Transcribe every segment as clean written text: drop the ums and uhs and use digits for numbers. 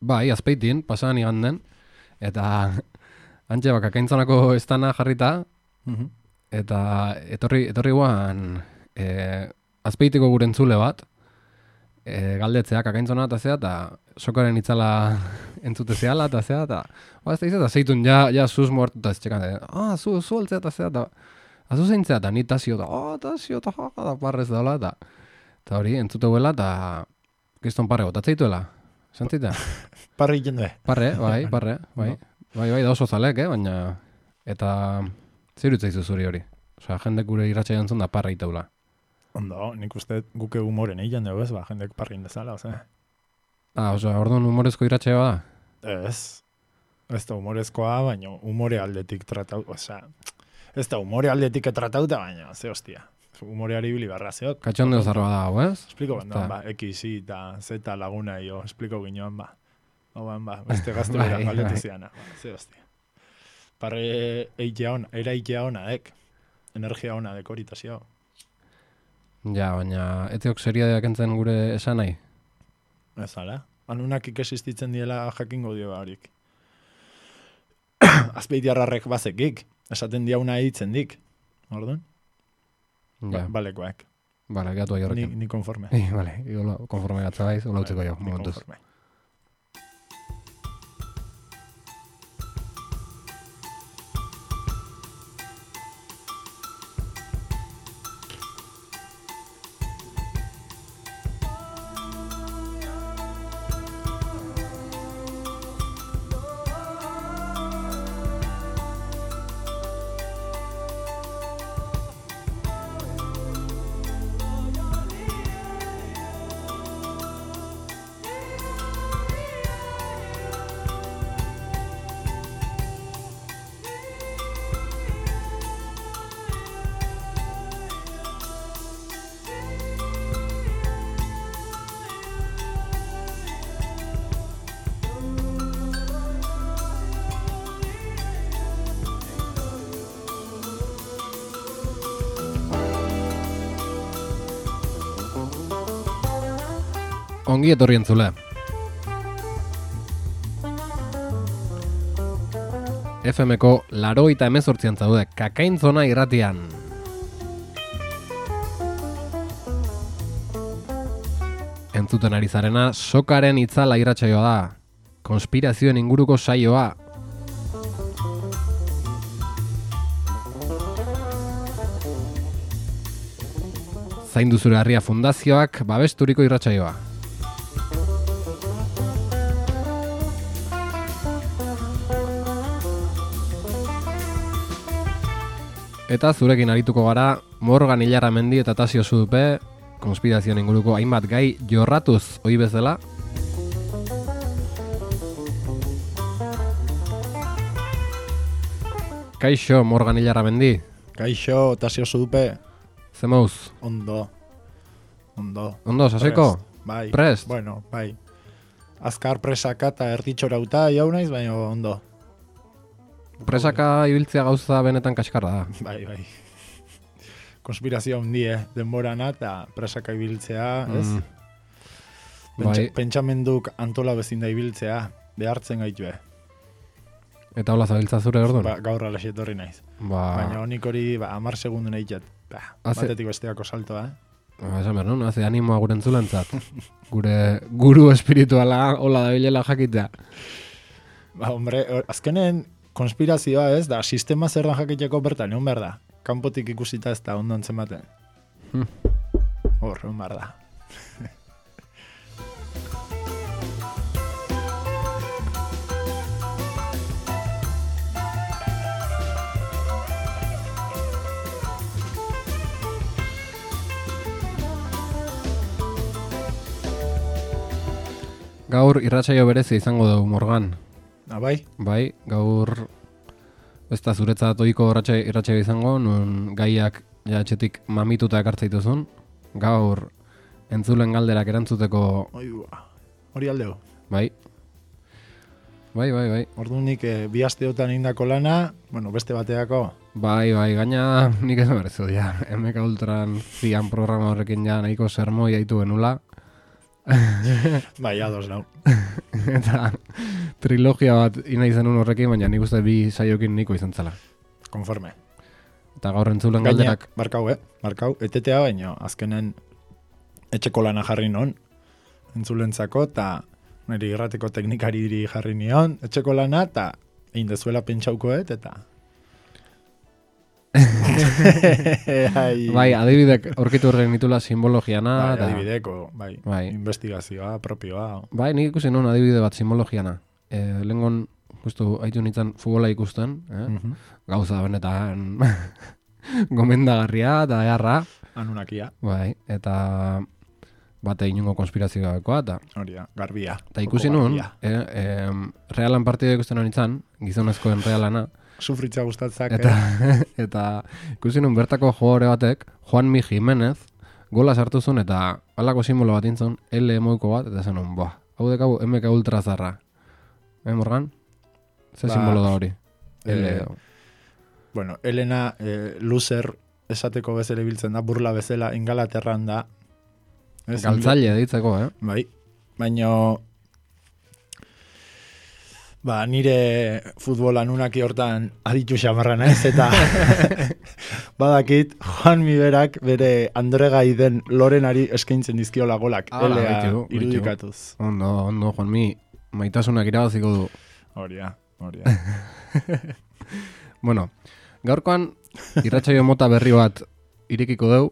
Bai, Azpeitin, pasadan iganden, eta antxe Kakaintzonako estana jarrita, eta etorri guan Azpeitiko gure entzule bat, galdetzea Kakaintzona eta zea, eta sokaren itzala entzute zehala, eta zea, eta ez da izan, zeitun ja zuz muertu, eta ez txekan, zu altzea eta zea, eta azu zeintzea, eta ni tasio, eta parrez daula, eta hori, entzute huela, eta kriston parre gotatzeituela. Santzita? Parre egiten du. Parre, bai. Bai, da oso zalek, baina... Eta... Zer utzaizu zuri hori? Osea, jendek gure irratxa jantzun da parre itaula. Ondo, nik uste guke humoren egin dugu ez, jendek parre indezala, oza. Osea, orduan humorezko irratxa da? Ez da humorezkoa, baina humore aldetik tratau, osea... Ez da humore aldetik tratauta, baina, ze hostia. Humoreari bili barra zeok. Katxondeo zarroa da, ez? Espliko bandoan, X, Y eta Z laguna jo, espliko ginean, beste gazte bera galdetu ziana, ze hostia. Parre eitea ona, energia ona, dekoritazio. Ja, baina, etziok seriadeak entzen gure esan nahi? Ez ala, anunak ikesistitzen diela jakingo dio harik. Azpeitiarrarrek bazekik, esaten diauna eitzen dik, orduan? Ja. Balekoak. Bale, gatu ahi horrekin. Ni konforme. Bale, konforme gatza baiz, hola utzeko jo, momentuz. Konforme. Ongi etorri entzule. FM-ko 88 zaude, Kakaintzona irratian. Entzuten ari zarena, sokaren itzala irratsaioa da. Konspirazioen inguruko saioa. Zaindu zure harria fundazioak babesturiko irratsaioa. Eta zurekin arituko gara, Morgan Ilarramendi eta Tasio Zudupe, konspirazioen inguruko hainbat gai jorratuz ohi bezala. Kaixo, Morgan Ilarramendi. Kaixo, Tasio Zudupe. Zemouz? Ondo, saseko? Bai. Prest? Bueno, bai. Azkar presaka eta erditxorauta jau naiz, baina ondo. Presaka ibiltzea gauza benetan kaskarra da. Bai. Konspirazioa hundi, denborana eta presaka ibiltzea, ez? Bai. Pentsamenduk antola bezin da ibiltzea, behartzen gaitu, Eta hola zabiltza zure orduan? Gaur alaxe etorri naiz. Baina honik hori 10 segundu nahi jat. Batetik besteako saltoa, Esan behar, no? Haze animoa gure entzulantzat. Gure guru espirituala hola da bilela jakitea. Hombre, azkenen konspirazioa ez, da sistema zer da jakiteko bertan, egon behar da. Kanpotik ikusita ez da ondo antzematen. Egon behar da. Gaur irratsaio berezi izango dugu, Morgan. Bai? Bai, gaur ez da zuretzat ohiko irratsaio izango, nun gaiak etxetik mamituta ekartzaituzun. Gaur entzulen galderak erantzuteko... Hori aldeo. Bai. Ordunik bi asteotan indako lana, beste bateako. Bai, gaina nik ez berezu, MK Ultran zian programa horrekin nahiko sermoi haitu genula. Bai, ados nau. Eta trilogia bat ina izan horrekin, baina nik uste bi saiokin niko izan zela. Konforme. Eta gaur entzulen galderak... Markau, etetea baino, azkenen etxeko lana jarri non, entzulentzako, eta niri irrateko teknikari diri jarri nion, etxeko lana, eta egin dezuela pentsaukoet, eta... Bai, adibidek aurkitu horren nitula simbologiana. Bai, adibideko, bai, investigazioa, propioa. Bai, nik ikusi non adibide bat simbologiana. Lehengon, justu, haitu nintzen futbola ikusten, gauza benetan gomendagarria eta eharra. Anunakia. Bai, eta bate inungo konspirazioa gabekoa, eta... Horia, garbia. Eta ikusi nun, Realan partidua ikusten hori nintzen, gizonezkoen Realana, sufritza gustatzak. Eta ikusi nun bertako jogore batek, Juanmi Jimenez, gola sartu zuen eta halako simbolo bat intzun, L moiko bat, eta zen nun, hau dekau MK Ultra zarra. Morgan? Ze simbolo da hori? Bueno, Elena loser esateko bezala biltzen da, burla bezala Ingalaterran da. Galtzaile ditzeko, Bai, baino... nire futbolan unaki hortan aditu xamarra naiz, eta badakit Juanmi berak bere Andregai den Lorenari eskaintzen dizkiola golak, elea irudikatuz. Ondo, Juanmi, maitasunak irabaziko du. Horia. Bueno, gaurkoan irratsaio mota berri bat irekiko deu,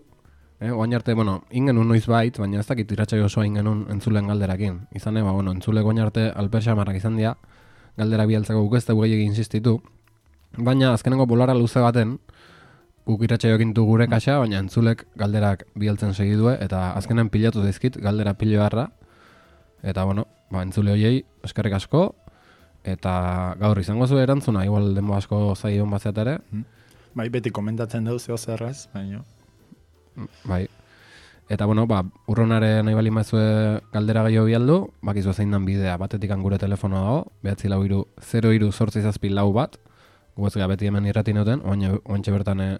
oain arte, ingenun noiz bait, baina ez dakit irratsaio osoa ingenun entzulen galderakin. Izan entzule oain arte alper xamarrak izan dira, galdera bialtzako guk ez da gehiagi insistitu, baina azkenengo bolara luze baten guk irratsaioekin du gure kaxa, baina entzulek galderak bialtzen segidue, eta azkenen pilatu dizkit galdera pilo harra, eta entzule hoiei eskerrik asko, eta gaur izango zu erantzuna, igual denbo asko zaion batzat ere. Bai, beti komentatzen dau zeo zerraz, baina. Bai. Eta, urronare nahi bali maizue galdera gehiago bialdu, bakizu zein dan bidea, batetik gure telefonoa dago, 943 bat, gu ez beti hemen irrati noten, oantxe bertan ez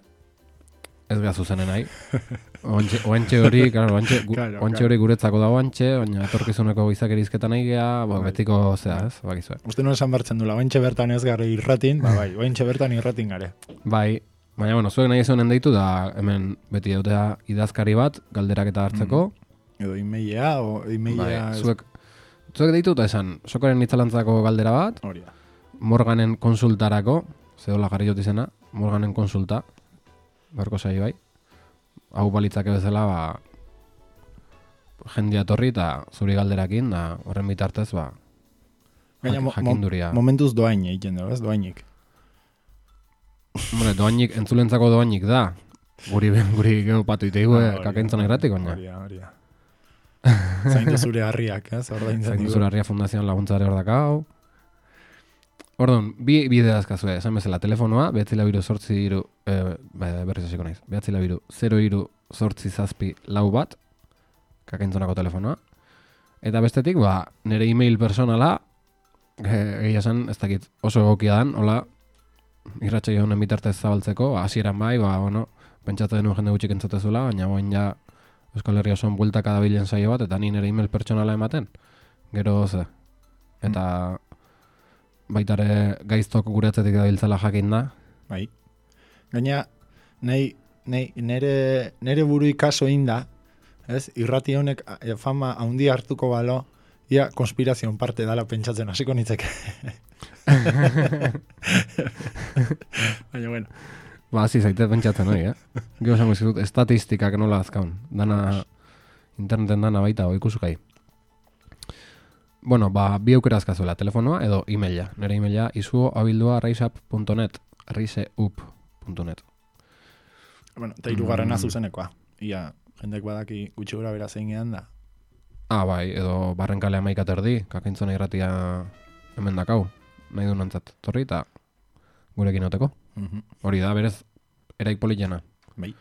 gara zuzenen nahi. Oantxe hori guretzako dago oantxe, baina etorkizuneko izakerizketan nahi geha, betiko zea, ez, bakizu. Uste nuen esan bertzen dula, oantxe bertan ez gara irratin, oantxe bertan irratin gare. Bai. Baina, zuek nahi ezonen deitu da hemen beti dautea idazkari bat, galderak eta hartzeko. Edo emailea, Zuek deitu eta esan, sokoren itzalantzako galdera bat, Morganen konsultarako, zehola jarri jot izena, Morganen konsulta, berko zai bai, hau balitzake bezala, jendia torri eta zuri galderakin, da horren bitartez, jakinduria. Momentuz doain egiten dugu, ez doainik. Doainik, entzulentzako doainik da. Guri geopatu iteigu, kakentzan irratik, baina. Horia. Zaindu zure harriak, ez? Zaindu zure harria fundazioan laguntzare hor dakau. Orduan, bi bide dazkazue, esan bezala, telefonoa, 943 berriz hasiko naiz, 943 bat, kakentzonako telefonoa. Eta bestetik, nire email personala, egia esan, ez dakit oso egokia dan, hola, irratsaio honen bitartez zabaltzeko, hasieran bai, pentsatu denuen jende gutxik entzutezuela, baina boin ja Euskal Herria osoan bueltaka dabilen saio bat, eta ni nire email pertsonala ematen, gero ze. Eta baitare gaiztok gure atzetik dabiltzala jakin da. Bai. Gaina, nire buru ikaso inda, ez? Irrati honek fama haundi hartuko balo, ia konspirazion parte dala pentsatzen hasiko nitzeke. Baina, bueno. Hasi zaite pentsatzen hori, Gero esango izkutut, estatistikak nola azkaun. Dana, interneten dana baita, ikusukai. Bi aukera azkazuela, telefonoa edo emaila. Nire emaila, izuo@riseup.net, riseup.net. Eta hirugarrena zuzenekoa. Ia, jendek badaki gutxi gura bera zein gehan da. Bai, edo barrenkale 11 erdi, kakintzona irratia hemen dakau. Nahi du nantzat torri eta gurekin oteko. Hori da, berez, eraik politena. Bai.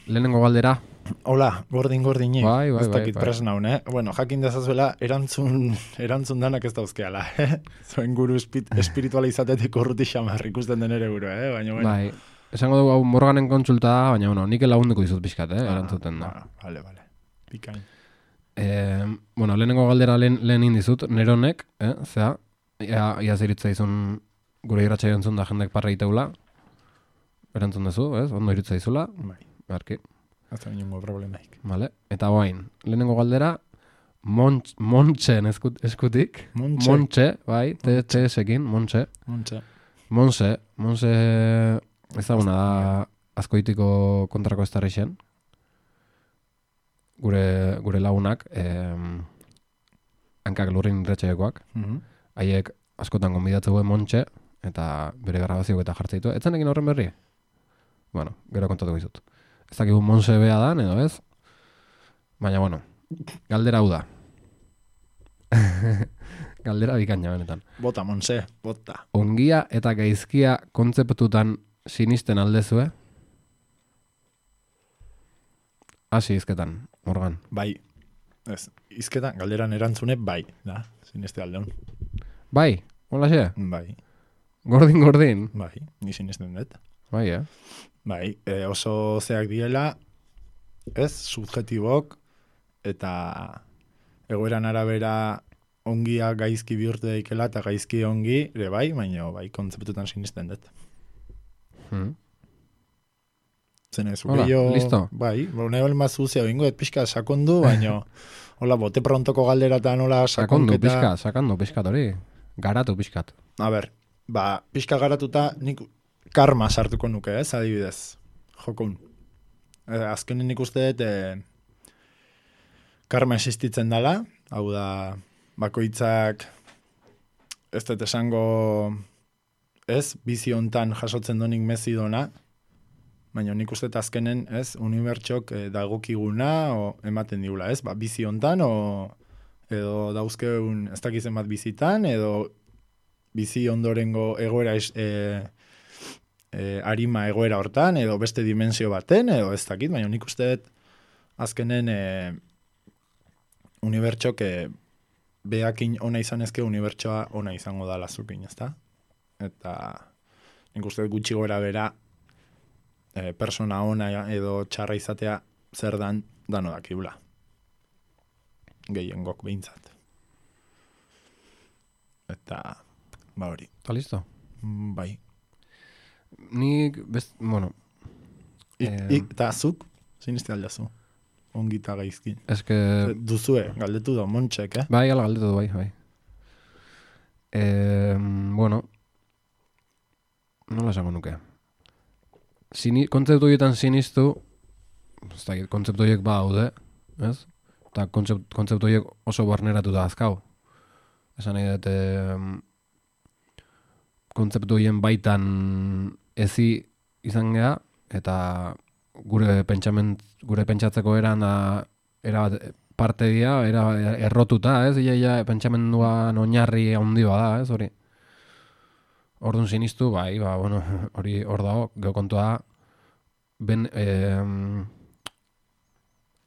Lehenengo galdera. Hola, gordin-gordinik. Bai. Ez dakit presnaun, jakin dezazuela, erantzun danak ez dauzkeala, Zuen guru espirituala izatetik urruti xamar ikusten den ere guru, baina, Bai, esango dugu hau Morganen kontsulta, baina, nik lagunduko dizut pixkat, erantzuten da. Vale. Bikain. Bueno, lehenengo galdera lehen indizut, neronek, zea, ia ziritza izun gure irratxa entzun da jendek parra iteula, erantzun duzu, ez? Ondo iritza izula, Bai. barki. Ez da ningún problemaik. Vale. Eta guain, lehenengo galdera, Montxen eskutik. Montxe, bai, TS-ekin, Montxe. Monse ezaguna da Azkoitiko kontrako estarrixen. Gure lagunak, hankak lurrin irratxaiokoak. Haiek askotan gonbidatzeu Montxe, eta bere grabazioak eta jartzeitu. Etzenekin horren berri? Bueno, gero kontatuko izut. Ez dakigu Monse bea dan, edo ez? Baina, bueno, galdera hau da. Galdera bikaina benetan. Bota, Monse, bota. Ongia eta gaizkia kontzeptutan sinisten aldezue? Hasi izketan, Morgan. Bai. Ez, izketan, galderan erantzune, bai. Da, sineste aldeon. Bai, hola xe? Bai. Gordin. Bai, ni sinesten dut. Bai, Bai, oso zeak direla, ez, subjetibok, eta egoeran arabera ongia gaizki bihurtu daikela, eta gaizki ongi, ere bai, baina bai, kontzeptutan sinisten dut. Zenez, hola, listo. Bai, nahi balen mazuzia bingo, pixka sakondu, baina hola, bote prontoko galderatan, hola, sakonketa. Sakandu pixkat hori. Garatu pixkat. A ber, pixka garatuta nik karma sartuko nuke, ez, adibidez. Jokun. Azkenen nik uste dut karma existitzen dela, hau da, bakoitzak ez dut esango ez, bizi hontan jasotzen donik mezidona, baina nik uste dut azkenen, ez, unibertsok dagokiguna o ematen digula, ez, bizi hontan, edo dauzkeun ez dakizen bat bizitan, edo bizi ondorengo egoera arima egoera hortan, edo beste dimensio baten, edo ez dakit, baina nik uste dut azkenen unibertsok behakin ona izan ezke unibertsoa ona izango da lazukin, ezta? Eta nik uste dut gutxi gora bera persona ona edo txarra izatea zer dan dano dakibula. Gehiengok behintzat. Eta hori. Eta listo? Bai. Nik, bueno... Eta zuk, zinizte aldazu, ongita gaizki. Eske... Duzue, galdetu da, Montxek, Bai, ala galdetu du, bai. Bueno, nola esango nuke. Kontzeptu horietan sinistu, ez da, kontzeptu horiek daude, ez? Eta kontzeptu horiek oso barneratu da azkau. Esan nahi dut, kontzeptu horien baitan ezi izan geha, eta gure pentsatzeko eran era parte dira, era errotuta, ez? Ia pentsamenduan oinarri handi da, ez? Hori. Orduan sinistu, bai, bueno, hori hor dago, geho kontua ben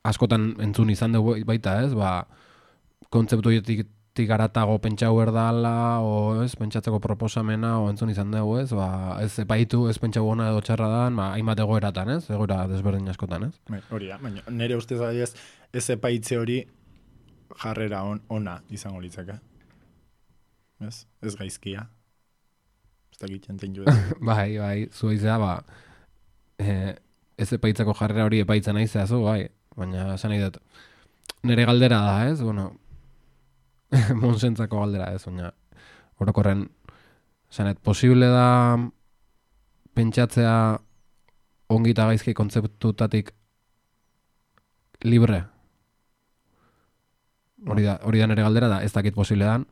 askotan entzun izan dugu baita, ez? Kontzeptu horietik garatago pentsau erdala, o ez, pentsatzeko proposamena, o entzun izan dugu, ez? Ez epaitu, ez pentsau ona edo txarra dan, hainbat egoeratan, ez? Egoera desberdin askotan, ez? Hori da, baina nire ustez adiez, ez epaitze hori jarrera ona izango litzaka. Ez gaizkia. Ez da gitzen tenju ez. Bai, zu izea, ez epaitzeko jarrera hori epaitzen nahi zehazu, bai. Baina, esan nahi dut, nire galdera da, ez? Bueno, monsentzako galdera, ez? Baina, orokorren, esanet, posible da pentsatzea ongi eta gaizki kontzeptutatik libre? Hori da nire galdera da, ez dakit posible dan.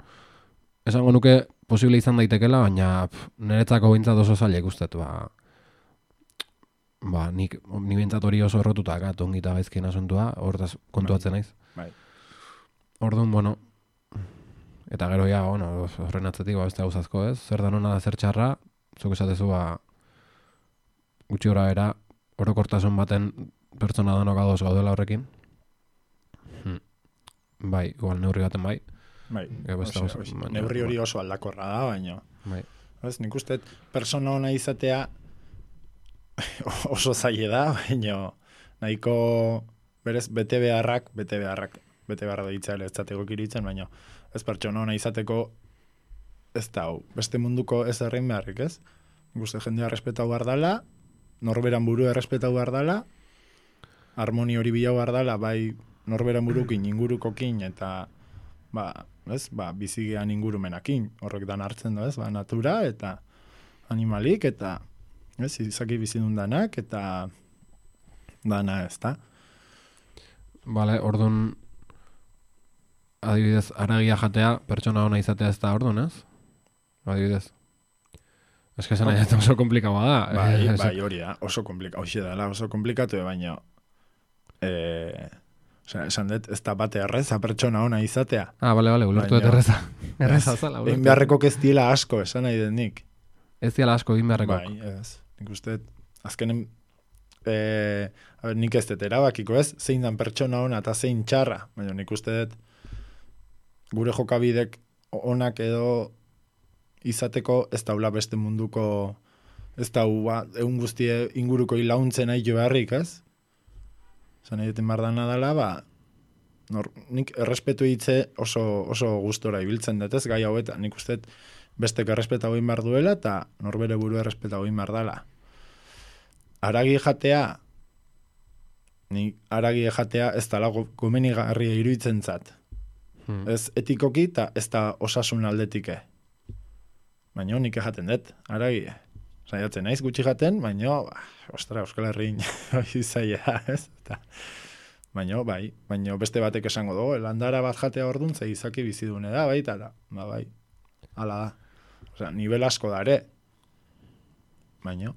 Esango nuke posible izan daitekela, baina niretzako bintzat oso zaila ikustet, ni bintzat hori oso errotuta ongi eta gaizkien asuntua, hortaz kontuatzen naiz. Bai. Orduan, bueno, eta gero ja, bueno, horren atzetik, beste gauzazko, ez? Zer da nona da zer txarra, zuk esatezu, gutxi gora era, orokortasun baten pertsona danok adoz gaudela horrekin. Bai, igual neurri baten bai. Bai, neurri hori oso aldakorra da, baina. Bai. Nik uste, persona ona izatea oso zaila da, baina nahiko berez bete beharrak da itzale ez zateko kiritzen, baina ez pertsona ona izateko ez da hau, beste munduko ez errein beharrik, ez? Guzti jendea respetau behar dala, norberan burua respetau behar dala, harmoni hori bilau behar dala, bai norberan burukin, ingurukokin, eta bizigean ingurumenakin, horrek dan hartzen da, ez? Natura, eta animalik, eta izaki bizidun danak, eta dana ez da. Bale, orduan, adibidez, aragia jatea, pertsona ona izatea ez da orduan, ez? Adibidez. Ez que zena oso komplikaua da. Bai, hori da, oso komplikatu, baina esan dut, ez da bate erreza pertsona ona izatea. Bale, ulertu dut erreza. Erreza zala. Egin beharrekok ez diela asko, esan nahi den nik. Ez diela asko, egin beharrekok. Bai, ez. Nik uste, azkenen, nik ez dut erabakiko ez, zein dan pertsona ona eta zein txarra, baina nik uste dut, gure jokabidek onak edo izateko ez daula beste munduko, ez daua, egun guztie inguruko ilauntzen nahi jo beharrik, ez? Zan egiten bardana dela, nik errespetu hitze oso gustora ibiltzen dut, ez? Gai hauetan, nik uste bestek errespeta egin behar duela, eta norbere buru errespeta egin behar dela. Aragi jatea ez dala gomenigarria iruditzen zat. Ez etikoki eta ez da osasun aldetike. Baina nik jaten dut, aragi. Saiatzen naiz gutxi jaten, baina, Euskal Herrin izaia, ez? Baina beste batek esango dugu, landara bat jatea orduan, ze izaki bizidune da, baita da. Bai, ala da. Osea, nivel asko da ere. Baina,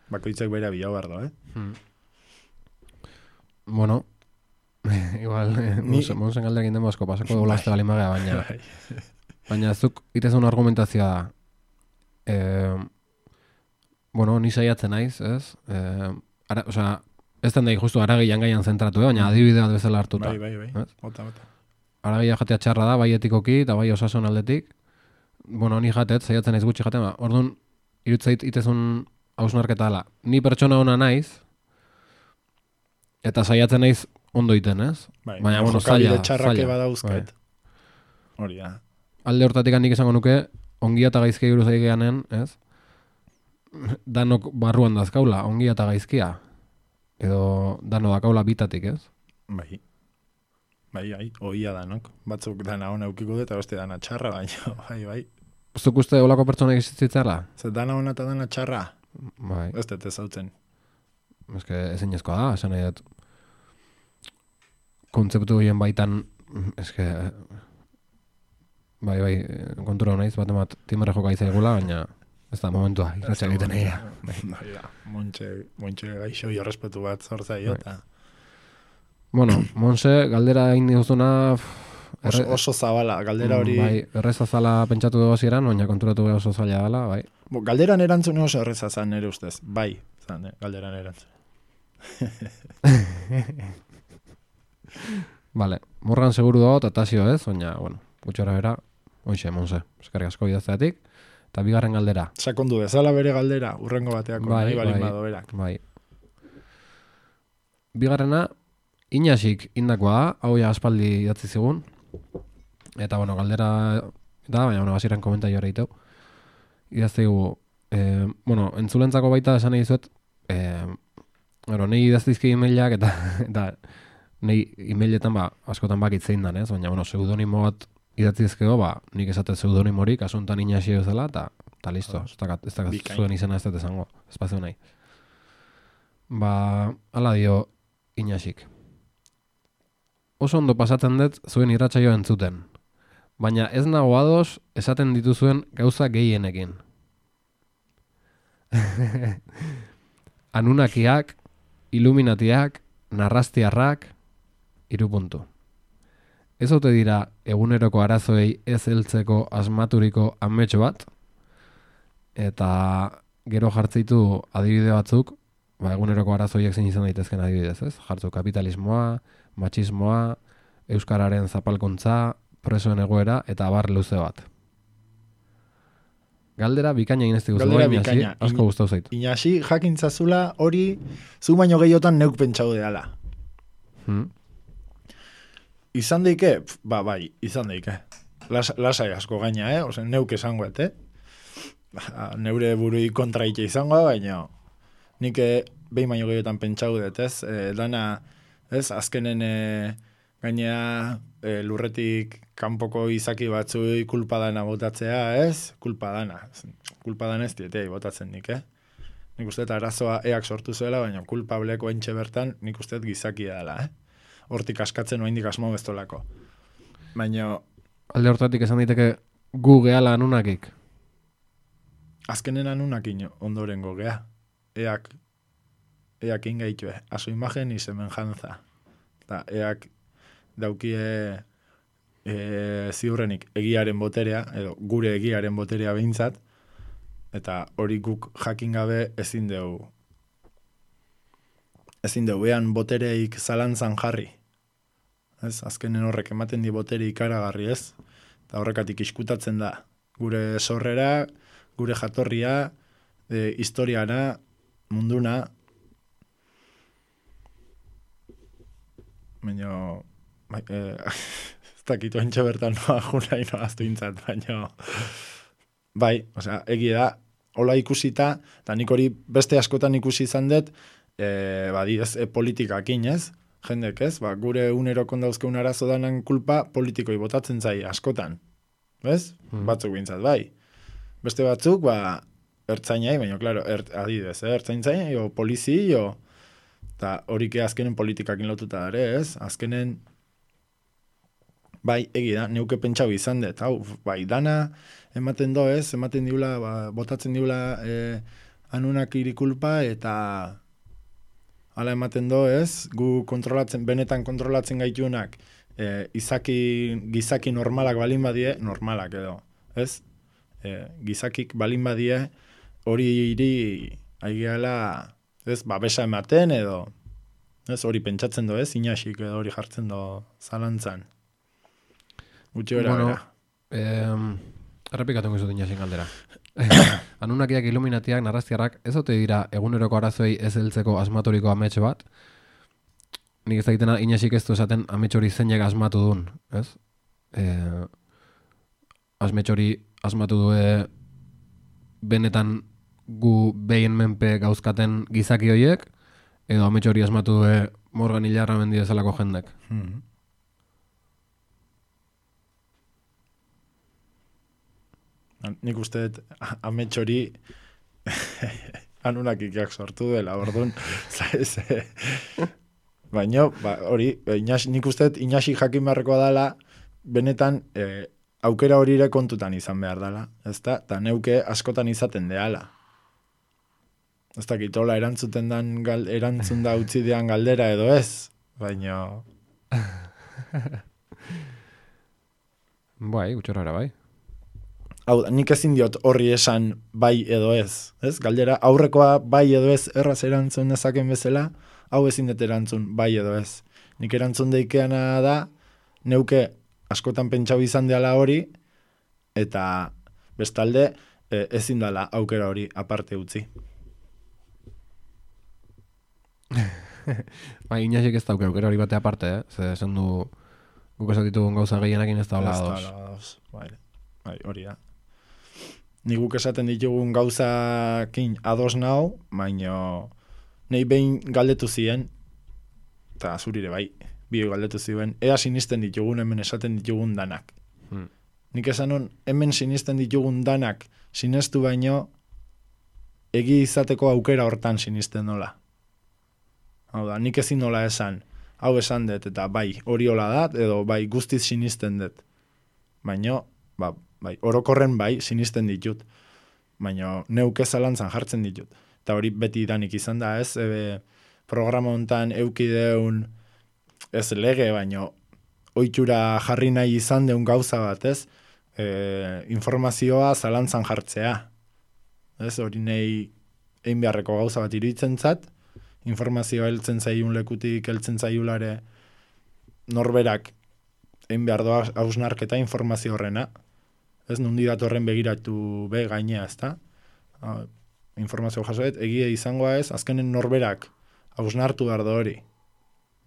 bakoitzak bera bilau behar da, Bueno, igual, monsen galdekin den asko pasako dolazte balin magea, baina zuk itezun argumentazioa da. Bueno, ni saiatzen naiz, ez? Osea, ez den daik justu aragian gaian zentratu, baina adibide bat bezala hartuta. Bai. Bota. Aragia jatea txarra da, bai etikoki eta bai osasun aldetik. Bueno, ni jatet, saiatzen naiz gutxi jaten, orduan, irutzait itezun hausnarketa ala. Ni pertsona ona naiz, eta saiatzen naiz ondo iten, ez? Baina, jokabide txarrake badauzket. Hori da. Alde hortatik nik esango nuke, ongia eta gaizkia buruz ari geanen, ez? Danok barruan dazkaula, ongia eta gaizkia. Edo dano dakaula bitatik, ez? Bai, oia danok. Batzuk dana ona eukiko dut, eta beste dana txarra, baina, bai. Zuk uste olako pertsonek existitzela? Zer dana ona eta dana txarra? Bai. Ez dut ezautzen. Ez que ezin ezkoa da, esan nahi dut. Kontzeptu horien baitan, ez que... Bai, kontura honaiz, bat timere joka izaigula, baina ez da momentua, irratxa egiten egia. Bai da, montxe gaixo jorrespetu bat zortzaio, eta... Bueno, Monse, galdera egin duzuna... Oso zabala, galdera hori... Bai, erreza zala pentsatu dugu ziren, baina konturatu beha oso zaila dela, bai. Galderan erantzune oso erreza zan nire ustez, bai, zan, galderan erantzune. Vale, Morgan seguru dago, tatazio ez, baina, bueno, gutxora bera, oixe, Monse, eskerrik asko bidazteatik, eta bigarren galdera. Sakondu bezala bere galdera, urrengo bateako, nahi balin bado berak. Bai. Bigarrena, Inaxik indakoa da, hau ja aspaldi idatzi zigun, eta, bueno, galdera da, baina, bueno, baziren komentario hori itau. Idaztegu, bueno, entzulentzako baita esan nahi dizuet, nahi idaztizki e-mailak eta nahi e-mailetan askotan bakitzein dan, ez? Baina, bueno, pseudonimo bat idatzizkego, nik esate pseudonimorik, asuntan Inaxi bezala, eta listo, ez da zuen izena ez dut esango, espazio nahi. Hala dio Inaxik. Oso ondo pasatzen dut zuen irratsaioa entzuten, baina ez nago ados esaten dituzuen gauza gehienekin. Anunakiak, Illuminatiak, narrastiarrak, 3 puntu. Ez ote dira eguneroko arazoei ez heltzeko asmaturiko ametxo bat, eta gero jartzeitu adibide batzuk, eguneroko arazoiek zein izan daitezken adibidez, ez? Jartzu kapitalismoa, matxismoa, euskararen zapalkontza, presoen egoera, eta abar luze bat. Galdera bikaina egin ez diguzu, Inaxi, asko gustau zaitu. Inaxi, jakintzazula hori, zu baino gehiotan neuk pentsau deala. Izan deike? Bai, izan deike. Lasai asko gaina, Ose, neuk esangoet, neure burui kontraite izango, baina nik behin baino gehiotan pentsau dut, ez? Dana, ez? Azkenen gainea lurretik kanpoko izaki batzui kulpa dana botatzea, ez? Kulpa dana ez dietei botatzen nik, Nik uste arazoa eak sortu zuela, baina kulpableko entxe bertan nik uste gizakia dela, Hortik askatzen oaindik asmo bestolako. Baina alde hortatik esan daiteke gu gehala anunakik. Azkenen anunakin ondorengo gea. Eak ingaitue. A su imagen y semejanza. Ta eak daukie ziurrenik egiaren boterea, edo gure egiaren boterea behintzat, eta hori guk jakin gabe ezin dugu ean botereik zalantzan jarri. Ez, azkenen horrek ematen di botere ikaragarri, ez? Eta horrekatik iskutatzen da. Gure sorrera, gure jatorria, historiara, munduna. Baina, ez dakitu entxe bertan noa juna inoaztu intzat, baina, bai, osea, egia da, hola ikusita, eta nik hori beste askotan ikusi izan dut, politikakin, ez? Jendek, ez? Gure unerokon dauzkeun arazo danan kulpa politikoi botatzen zai askotan. Ez? Batzuk bintzat, bai. Beste batzuk, ertzainai, baina, klaro, adidez, ertzaintzai, o polizi, eta horik azkenen politikakin lotuta dare, ez? Azkenen, bai, egi da, neuke pentsau izan dut, bai, dana ematen do, ez? Ematen diula, botatzen diula anunak irikulpa, eta hala ematen do, ez? Gu benetan kontrolatzen gaitunak, gizaki normalak balin badie, normalak edo, ez? Gizakik balin badie, hori iri aigeala, ez, babesa ematen edo, ez, hori pentsatzen do, ez, inaxik edo hori jartzen do zalantzan. Gutxi bera. Errepikatu gizut inaxik galdera. Anunakiak iluminatiak, narraztiarrak, ez ote dira eguneroko arazoei ez heltzeko asmaturiko amets bat? Nik ez dakitena inaxik ez du esaten amets hori zeinek asmatu duen, ez? Amets hori asmatu due benetan gu behien menpe gauzkaten gizaki horiek, edo amets hori asmatu due Morgan Hilarra mendi bezalako jendek. Nik uste amets hori anunakikak sortu dela, orduan, baina, hori, nik uste inaxik jakin beharrekoa dela, benetan aukera hori ere kontutan izan behar dela, ezta? Eta neuke askotan izaten deala. Ez dakitola erantzuten erantzun da utzi dean galdera edo ez, baina... Bai, gutxorra bai. Hau, nik ezin diot horri esan bai edo ez. Galdera, aurrekoa bai edo ez erraz erantzun dezaken bezala, hau ezin dut erantzun bai edo ez. Nik erantzun deikeana da, neuke askotan pentsau izan deala hori, eta bestalde ezin dela aukera hori aparte utzi. Inaxik ez dauke aukera hori bate aparte, Ze esan du guk esatitugun gauza gehienakin ez da hola ados. Bai, hori da. Ni guk esaten ditugun gauzakin ados nau, baina nahi behin galdetu ziren, eta zurire bai, bi galdetu ziren, ea sinisten ditugun hemen esaten ditugun danak. Nik esan hon, hemen sinisten ditugun danak sinestu baino, egi izateko aukera hortan sinisten nola. Hau da, nik ezin nola esan, hau esan dut, eta bai, hori hola da, edo bai, guztiz sinisten dut. Baina, bai, orokorren bai, sinisten ditut. Baina, neuke zalantzan jartzen ditut. Eta hori beti danik izan da, ez? Programa hontan eukideun, ez lege, baina ohitura jarri nahi izan deun gauza bat, ez? Informazioa zalantzan jartzea. Ez, hori nahi egin beharreko gauza bat iruditzen zat, informazioa heltzen zaiun lekutik, heltzen zaiulare norberak egin behar doa hausnarketa informazio horrena. Ez nundi datorren begiratu be gainea, ez da? Informazio jasoet, egia izangoa ez, azkenen norberak hausnartu behar da hori.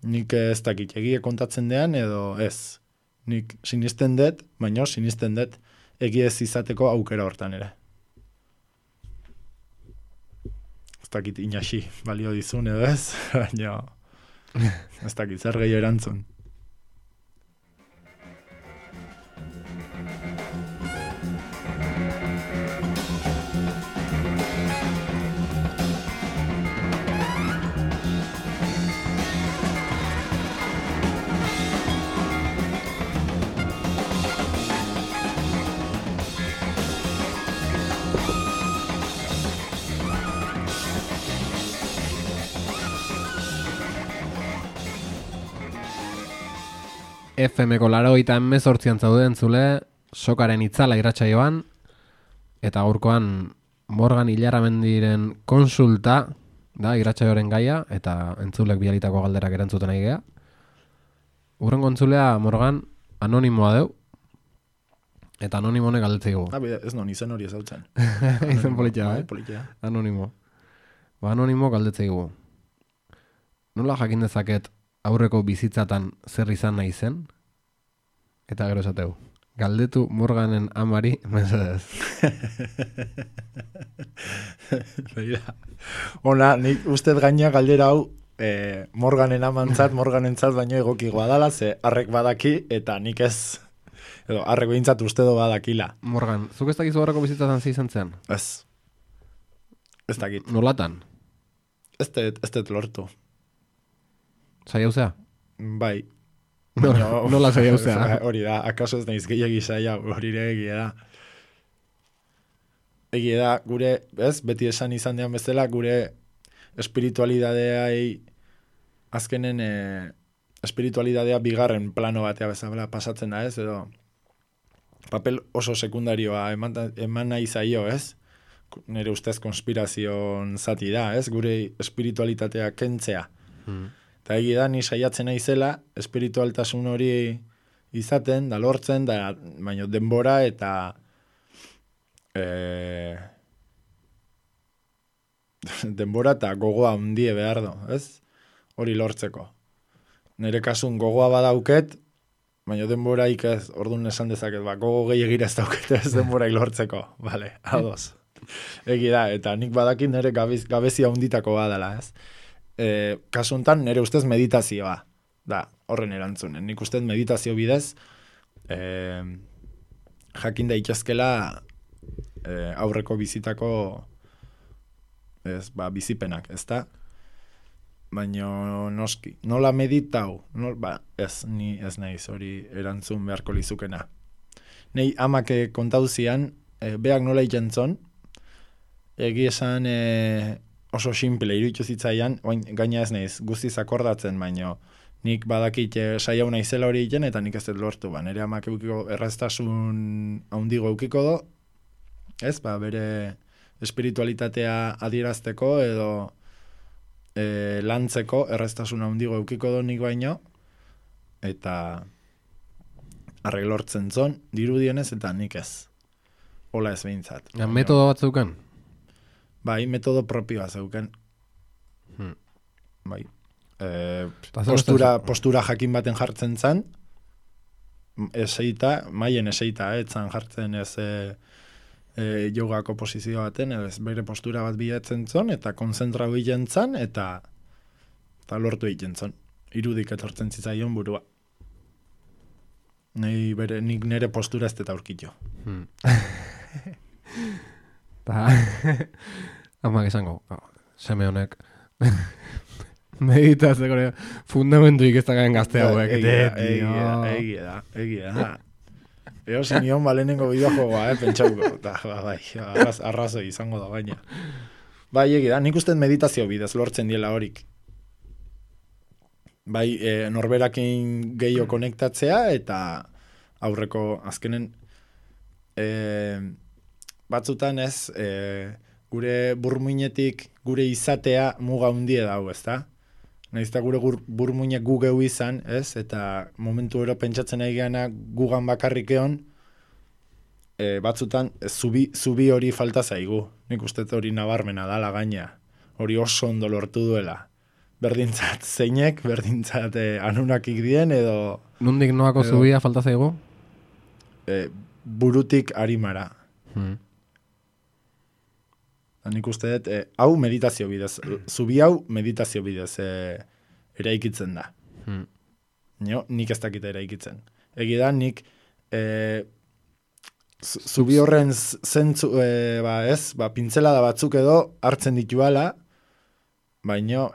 Nik ez dakit egie kontatzen dean edo ez. Nik sinisten dut, baina sinisten dut egie ez izateko aukera hortan ere. Ez dakit inaxi balio dizun edo ez, baina ez dakit zer gehi erantzun. FM-ko 88 zauden zule, sokaren itzala irratsaioan, eta gaurkoan Morgan Ilarramendiren konsulta da irratsaioaren gaia, eta entzulek bialitako galderak erantzuten nahi gea. Urrengo entzulea Morgan anonimoa deu, eta anonimonek galdetzei gu. Ez non, izen hori ezautzen. Izen politia, politia. Anonimo. Anonimo galdetzei gu. Nola jakin dezaket aurreko bizitzatan zer izan nahi zen? Eta gero esateu. Galdetu Morganen amari, mesedez. Begira. Ona, nik ustez gaina galdera hau Morganen amantzat, Morganentzat baino egokigoa dala, ze harrek badaki, eta nik ez, edo harrek behintzat uste do badakila. Morgan, zuk ez dakizu aurreko bizitzatan zi izan zen? Ez. Ez dakit. Nolatan? Ez dut lortu. Saiauzea? Bai. Nola saiauzea? Hori da, akaso ez naiz gehiagi saia, hori ere egia da. Egia da, gure, beti esan izan dean bezala, gure espiritualidadeai, azkenen espiritualidadea bigarren plano batea bezala pasatzen da, ez? Edo, papel oso sekundarioa eman nahi zaio, ez? Nire ustez konspirazion zati da, ez? Gure espiritualitatea kentzea. Eta egia da, ni saiatzen naizela, espiritualtasun hori izaten, da lortzen, da baino denbora eta denbora eta gogoa hundie behar do, ez? Hori lortzeko. Nire kasun gogoa badauket, baina denboraik ez, orduan esan dezaket, gogo gehiagira ez dauket ez denboraik lortzeko, vale, ados. Egi da, eta nik badakit nire gabezia hunditako badala, ez? Kasuntan nire ustez meditazioa da, horren erantzunen. Nik ustez meditazio bidez jakin daitezkela aurreko bizitako bizipenak, ezta? Baina noski, nola meditau? Ni ez naiz hori erantzun beharko lizukena. Nei amak kontauzian, beak nola ikentzon, egi esan oso simple, iruditu zitzaian, gaina ez naiz, guztiz akordatzen, baino nik badakit saiau naizela hori egiten, eta nik ez dut lortu, nire amak eukiko erraztasun handigo eukiko do, ez, bere espiritualitatea adierazteko, edo lantzeko erraztasun handigo eukiko do nik baino, eta arreglortzen zon, dirudienez, eta nik ez. Hola ez behintzat. Metodo bat zeuken? Bai, metodo propioa zeuken. Bai. Postura jakin baten jartzen zan, eseita, maien eseita, etzan jartzen ez jogako posizio baten, ez bere postura bat bilatzen zon, eta konzentrau egiten zan, eta lortu egiten zon. Irudik etortzen zitzaion burua. Nik nire postura ez deta aurkitio. Amak esango, seme honek meditatzeko fundamentuik ez dakaen gazte hauek. Egia da. Eo zinion balenengo bideojoa, pentsauko. Arrazoi izango da baina. Bai, egia da, nik uste meditazio bidez lortzen diela horik. Bai, norberakin gehiago konektatzea, eta aurreko azkenen batzutan ez, gure burmuinetik gure izatea muga hundie dago, ezta? Naizta gure burmuinek gu geu izan, ez? Eta momentu ero pentsatzen nahi gana gugan bakarrik egon, batzutan zubi hori falta zaigu. Nik uste hori nabarmena dala gaina. Hori oso ondo lortu duela. berdintzat zeinek, berdintzat anunakik dien, edo... Nundik noako zubia falta zaigu? Burutik arimara. Nik uste dut, hau meditazio bidez, zubi hau meditazio bidez eraikitzen da. Nik ez dakit eraikitzen. Egi da, nik zubi horren zentzu, pintzelada batzuk edo hartzen dituala, baino,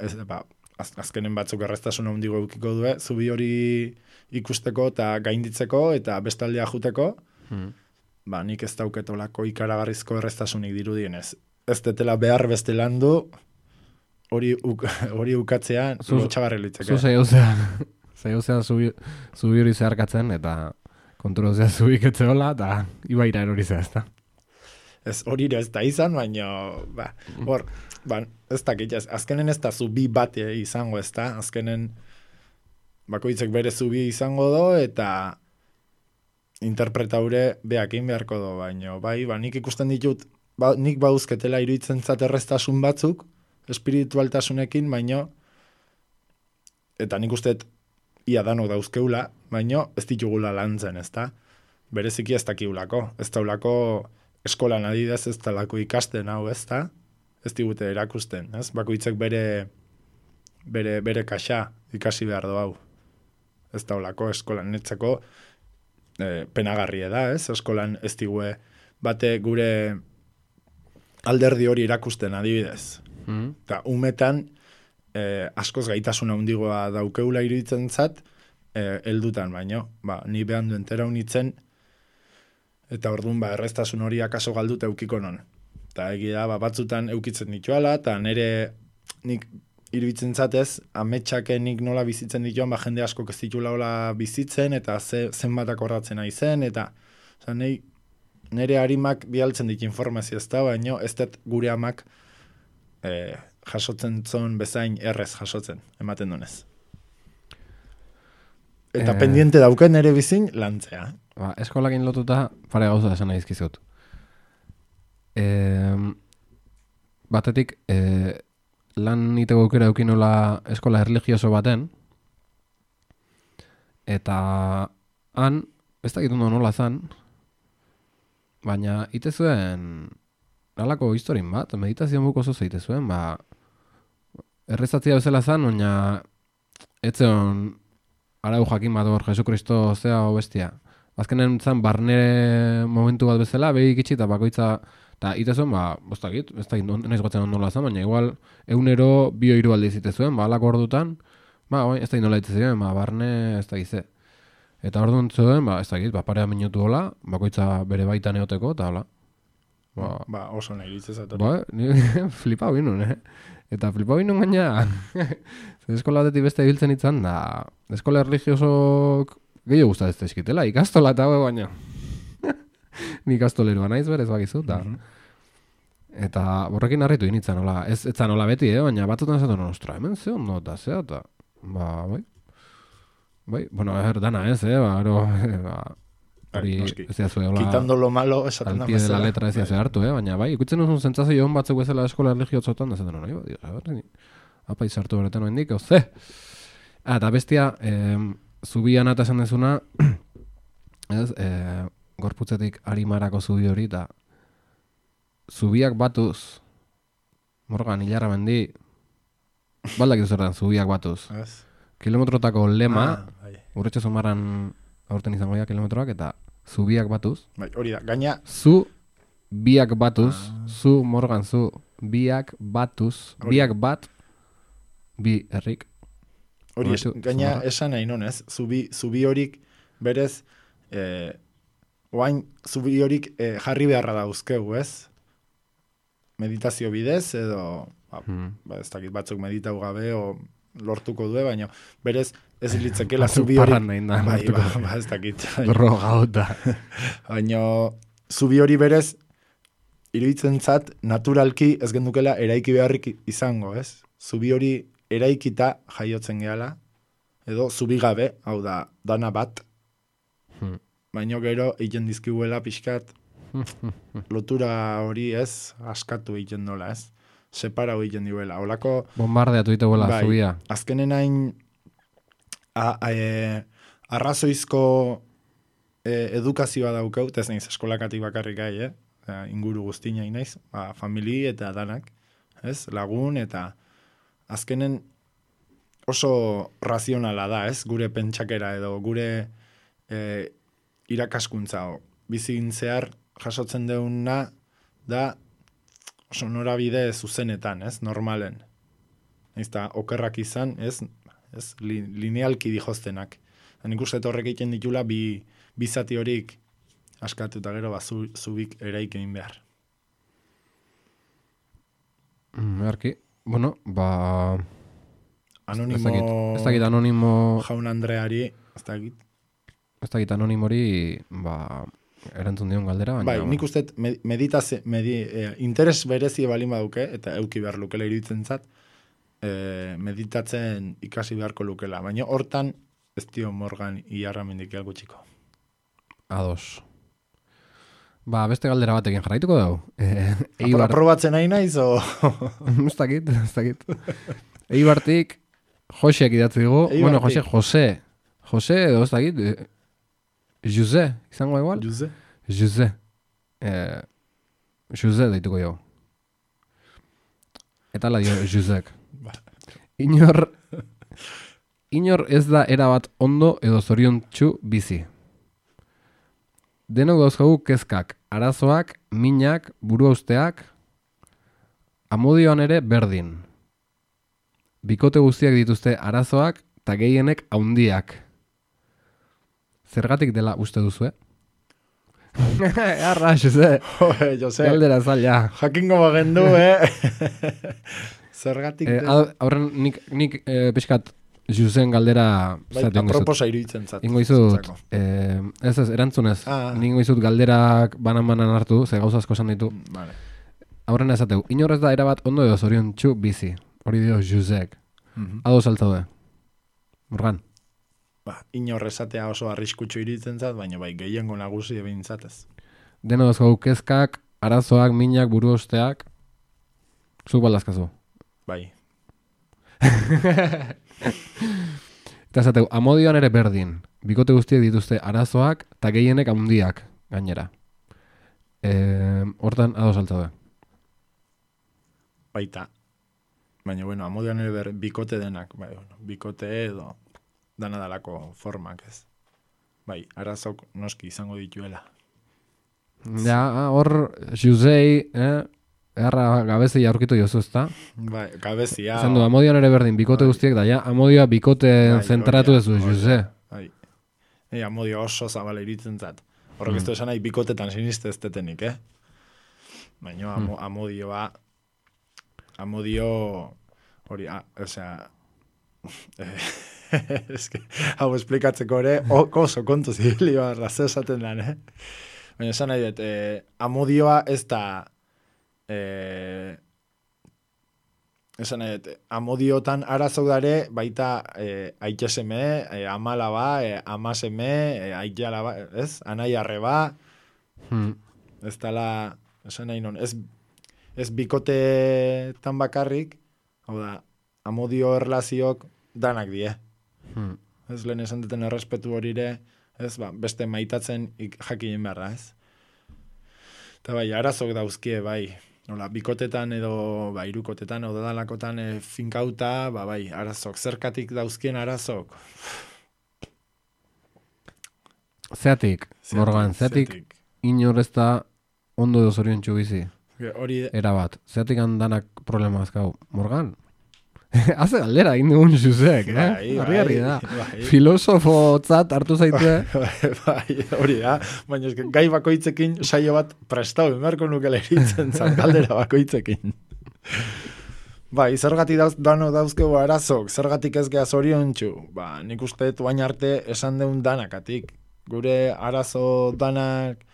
azkenen batzuk erreztasun handigo eukiko du, zubi hori ikusteko eta gainditzeko eta bestaldea juteko, nik ez dauketolako ikaragarrizko erreztasunik dirudienez. Ez detela behar beste landu, hori ukatzean lotxagarri litzeke. Zu zehuzea zubi hori zeharkatzen, eta kontrolozea zubik etzeola, eta ibaira erorizea, ez da? Ez hori ez da izan, baina, ez dakit, azkenen ez da zubi bat izango, ez da? Azkenen bakoitzek bere zubi izango do, eta interpretaure behakin beharko do, baina, nik ikusten ditut, nik bauzketela iruditzen zaterreztasun batzuk, espiritualtasunekin, baino, eta nik usteet ia danok dauzkeula, baino ez ditugula lantzen, ez da? Bereziki ez dakiulako. Ez daulako eskolan adidez ez dalako ikasten hau, ez da? Ez digute erakusten, ez? Bakoitzek bere kaxa ikasi behar do hau. Ez daulako eskolan netzako penagarria da, ez? Eskolan ez digue bate gure alderdi hori erakusten adibidez. Eta umetan askoz gaitasuna handigoa daukeula iruditzen zat, heldutan baino, ni behan duen tera unitzen, eta orduan erreztasun hori akaso galdut eukiko non. Eta egia da, batzutan eukitzen dituala, eta nik iruditzen zatez, ametxakenik nola bizitzen dituan, jende asko ez ditula hola bizitzen, eta zenbatak horratzen aizen, eta nire harimak bialtzen dit informazio ez da, baino ez dut gure amak jasotzen zon bezain errez jasotzen, ematen dunez. Eta pendiente dauken ere bizin lantzea. Eskolakin lotuta pare gauza esan nahi izkizut. Batetik, lan niteko aukera eukinola eskola erligioso baten, eta han, ez dakit ondo nola zan, baina ite zuen nalako historin bat, meditazio muko oso zeite zuen, errezatzia bezala zan, baina etzeon arau jakin bat hor, Jesukristo zea o bestia. Azkenen zan barne momentu bat bezala, behik itxi eta bakoitza, eta ite zuen, bostakit, ez da nahiz gotzen ondola zan, baina igual egunero bio-hiru aldi zite zuen, alako ordutan, ez da indola itze ziren, barne ez da gize. Eta orduan zuen, ez da git, parea minutu hola, bakoitza bere baita neoteko, eta hola. Oso nahi ditzez ator. Ni flipau binun, Eta flipau binun gaina, eskola batetik beste ibiltzen itzan, da eskola erligiosok gehiago gustatzen eskitela, ikastola eta hau baina. Ni ikastoleroa naiz berez bakizu, eta borrekin harritu initzen, ez etzan hola beti, baina batzutan esaten, ostra, hemen ze ondo eta zea, eta, bueno, dana ez, hori ez da zue, quitando lo malo, esaten da al pie de la letra ez da hartu, baina ikutzen duzun zentzazio hon batzuk bezala eskola erligiotzotan, da zaten, apa izartu beretan oendik, oze. Eta bestia, zubian eta esan dezuna, gorputzetik arimarako zubi hori, eta zubiak batuz, Morgan, hilarra mendi, baldak izuzertan, zubiak batuz. Kilometrotako lema, urretxe zumarran aurten izango dira kilometroak, eta zubiak batuz. Hori da, gaina... Zu biak batuz, zu Morgan, zu biak batuz, biak bat, bi herrik. Hori, gaina esan nahi nonez, zubi horik berez, oain zubi horik jarri beharra dauzkegu, ez? Meditazio bidez, edo, ez dakit batzuk meditau gabe, o lortuko du, baina berez ez litzekela zubi hori... ez dakit. Drogauta. Baina zubi hori berez, iruditzen zat, naturalki ez gendukela eraiki beharrik izango, ez? Zubi hori eraikita jaiotzen gehala, edo zubi gabe, hau da, dana bat, baina gero egiten dizkiguela pixkat, lotura hori ez, askatu egiten dola, ez? separau egiten diuela. Olako, Bombardeatu dituela zubia. Azkenen hain arrazoizko edukazioa daukaut, ez naiz eskolakatik bakarrik gai, inguru guztina naiz, famili eta danak, ez? Lagun eta azkenen oso razionala da, ez? Gure pentsakera edo gure irakaskuntza bizin zehar jasotzen deuna da oso norabide zuzenetan, ez? Normalen. Ez da, okerrak izan, ez linealki dijoztenak. Nik uste horrek egiten ditula bi zati horik askatu eta gero zubik eraik egin behar. Beharki. Bueno, Anonimo... Ez dakit anonimo... Jaun Andreari, ez dakit. Ez dakit anonimori, erantzun dion galdera, baina... Bai, nik uste interes berezi balin baduke, eta euki behar lukela iruditzen zat, meditatzen ikasi beharko lukela. Baina hortan, ez dio Morgan iarramendik gutxiko. Ados. Beste galdera batekin jarraituko dugu. Aprobatzen nahi naiz, o... Ez dakit. Eibartik, Joseak idatzi dugu. Bueno, Jose edo ez dakit. Jose, izango igual? Jose. Jose deituko jo. Eta la dio Josek. Inor ez da erabat ondo edo zoriontsu bizi. Denok dauzkagu kezkak, arazoak, minak, buruausteak, amodioan ere berdin. Bikote guztiak dituzte arazoak eta gehienek haundiak. Zergatik dela uste duzu, Arra, Jose. Jose. Galdera zaila. Jakingo bagendu, Zergatik... Aurren nik pixkat Josen galdera... Aproposa iruditzen zat. Ingo izut, ez, erantzunez. Ingo izut galderak banan hartu, ze gauza asko esan ditu. Vale. Aurrena esateu, inorrez da erabat ondo edo zoriontsu bizi. Hori dio Josek. Ados altzaude. Morgan. Inorrezatea oso arriskutsu iruditzen zat, baina gehiengo nagusi ebintzatez. Deno dozkagu kezkak, arazoak, minak, buruosteak. Zuk baldazkazu. Bai. Eta esateu, amodioan ere berdin. Bikote guztiek dituzte arazoak eta gehienek haundiak gainera. Hortan ados altzaude. Baita. Baina, amodioan ere bikote denak. Bikote edo dana dalako formak, ez. Arazok noski izango dituela. Ja, hor, Josei, erra gabezi aurkitu jozu, ezta? Gabezia. Esan du, amodioan ere berdin, bikote guztiek da, amodioa bikote zentratu ezu, Jose. Amodio oso zabala iritzen zat. Horrek ez du esan nahi bikotetan siniste ez detenik, Baina amodioa, hori, hau esplikatzeko ere, oso kontu zibilioa raze esaten dan, Baina esan nahi dut, amodioa ez da, esan nahi dut, amodiotan arazok dare, baita aiteseme, amalaba, amaseme, aitalaba, ez? Anai arreba, ez dala, esan nahi non, ez bikotetan bakarrik, hau da, amodio erlaziok danak die. Ez lehen esan duten errespetu horire, ez, beste maitatzen jakinen behar da, ez? Eta arazok dauzkie, nola, bikotetan edo, irukotetan edo dalakotan finkauta, arazok, zerkatik dauzkien arazok. Zeatik, Morgan, zeatik inor ez da ondo edo zoriontsu bizi. Erabat, zeatik handanak problema azkau. Morgan? Haze galdera, egin dugun Josek, Harri da. Filosofo tzat hartu zaitu, Hori da, baina gai bakoitzekin saio bat prestau, emarko nukela eritzen zan galdera bakoitzekin. Zergatik dano dauzkegu arazok, zergatik ez geha zoriontsu. Nik uste duain arte esan deun danakatik. Gure arazo danak,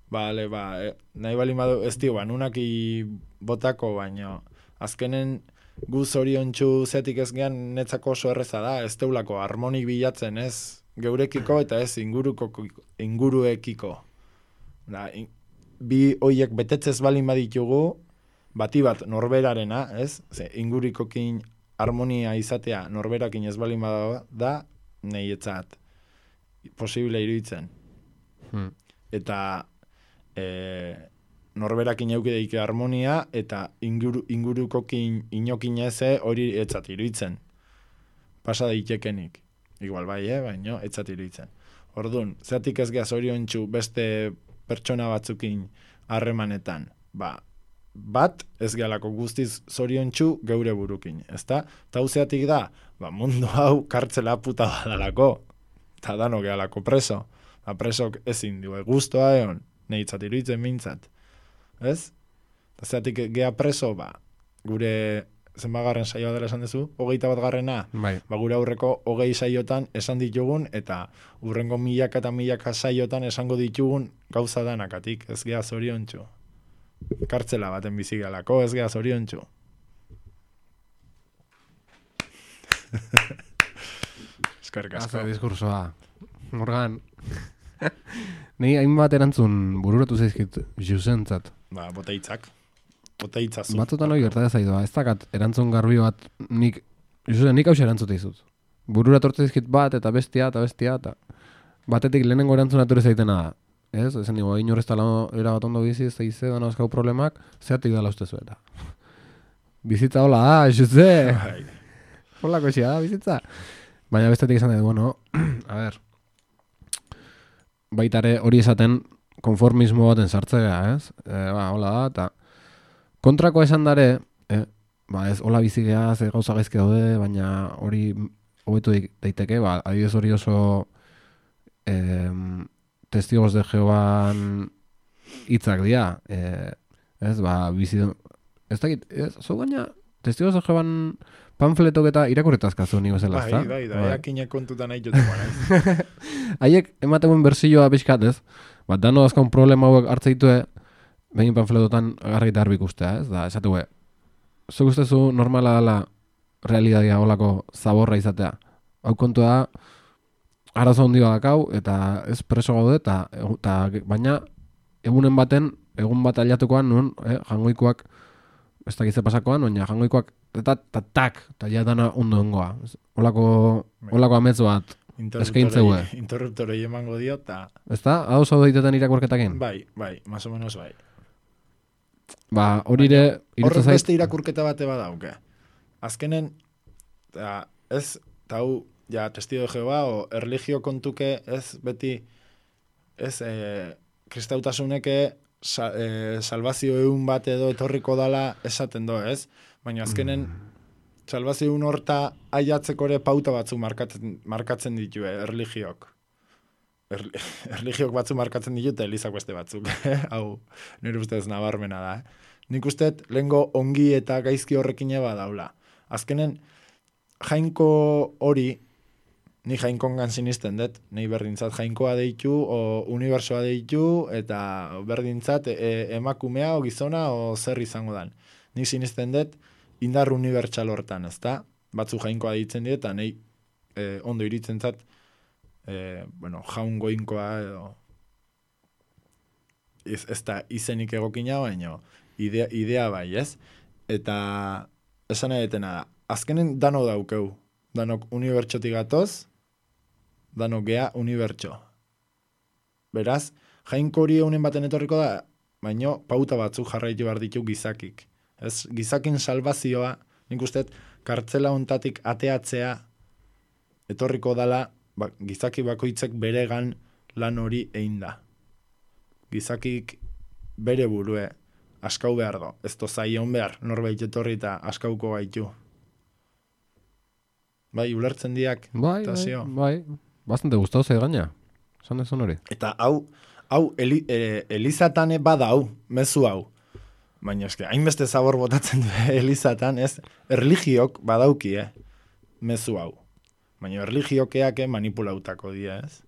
nahi balin badu, ez dio, nunaki botako, baina azkenen gu zoriontsu zetik ez gehan netzako oso erreza da, ez teulako harmonik bilatzen, ez geurekiko eta ez inguruekiko. Bi hoiek betetzez balin baditugu, bati bat norberarena, ez? Ze, ingurikokin harmonia izatea norberakin ez balin bada da, nahietzat posible iruditzen. Eta norberakin eukideik harmonia eta ingurukokin inokin eze hori etzat iruditzen. Pasa daitekenik. Igual bai, baina etzat iruditzen. Orduan, zeatik ez geha zoriontsu beste pertsona batzukin harremanetan. Bat ez gehalako guztiz zoriontsu geure burukin, ezta? Eta zeatik da, mundu hau kartzela puta badalako. Eta dano gehalako preso. Presok ezin du, guztoa egon, nehitzat iruditzen mintzat. Ez? Eta zeatik geha preso, gure zenbagarren saioa dela esan duzu, 21. Bai. Gure aurreko 20 saiotan esan ditugun, eta urrengo milaka eta milaka saiotan esango ditugun gauza danakatik, ez geha zoriontsu. Kartzela baten bizigalako, ez geha zoriontsu. Eskerrik asko. Haze diskursoa. Morgan. Ni hainbat erantzun bururatu zaizkit Jusentzat. Boteitzak. Boteitzazu. Batzutan hori gertatzen zaidoa. Ez dakat erantzun garbi bat nik hause erantzute izut. Bururatu zaizkit bat eta bestia eta batetik lehenengo erantzun atorri zaitena da. Ez? Ezen nigo, inorrezta era bat ondo bizi, ez da ize, dano azkau problemak, zeatik dala ustezu eta. Bizitza hola da, Jose! Holako esia da, bizitza. Baina bestetik esan dut, bueno, a ver, baitare hori esaten konformismo baten sartzea, ez? Hola da, eta kontrako esan dare, ez hola bizigea, ze gauza gaizke daude, baina hori hobetu daiteke, adibidez hori oso testigos de Jehovan hitzak dira, ez, bizi, ez dakit, zo gaina, testigos de Jehovan panfletok eta irakurretazkazu ni bezala, ezta? Bai, eakinak kontutan nahi joteko naiz. Haiek emateuen berzioa pixkat, ez? Dano azkaun problema hauek hartzeitue, behin panfletotan garri eta harbik ustea, ez? Da, esatue, zuk ustezu normala dela realidadia holako zaborra izatea. Hau kontua da, arazo handi badakau, eta ez preso gaude, eta baina egun bat aliatukoan, nun, jangoikoak, ez dakitze pasakoan, baina jangoikoak, eta ja dana ondo ongoa. Olako amets bat eskaintzeue. Interruptorei emango dio, eta... Ez da? Hau zau daitetan irakurketakin? Bai, más o menos bai. Horire... Horrek beste irakurketa bate badauke. Azkenen, ez, eta hau, ja, testigo de Jehova, o erligio kontuke, ez beti, ez, kristautasuneke salvazio egun bat edo etorriko dala esaten do, ez? Baina azkenen, salvazio egun horta aiatzeko ere pauta batzu markatzen ditue, erligiok. Erligiok batzu markatzen ditute, elizak beste batzuk. Hau, nire ustez nabarmena da, Nik usteet, lehengo ongi eta gaizki horrekin eba daula. Azkenen, jainko hori, ni jainkongan sinisten dut, nahi berdintzat jainkoa deitu, o unibersoa deitu, eta berdintzat emakumea, o gizona, o zer izango dan. Nik sinisten dut, indar unibertsal hortan, ezta? Batzu jainkoa deitzen dut, eta nahi ondo iritzen zat, jaungoinkoa, edo ez da izenik egokina, baina idea bai, ez? Eta esan edetena da, azkenen dano daukeu, danok unibertsotik gatoz, danok gea unibertso. Beraz, jainko hori eunen baten etorriko da, baina pauta batzuk jarraitu behar ditu gizakik. Ez, gizakin salvazioa, nik usteet, kartzela ontatik ateatzea etorriko dala, gizaki bakoitzek beregan lan hori egin da. Gizakik bere burue askau behar do. Ez tozaion behar, norbait etorri eta askauko gaitu. Bai, ulertzen diak. Bai. Bastante gustau zei gaina. Esan dezun hori. Eta hau Elizatane bada hau, mezu hau. Baina eske, hainbeste zabor botatzen du Elizatan, ez? Erligiok badauki, mezu hau. Baina erligiokeak manipulautako dia, ez?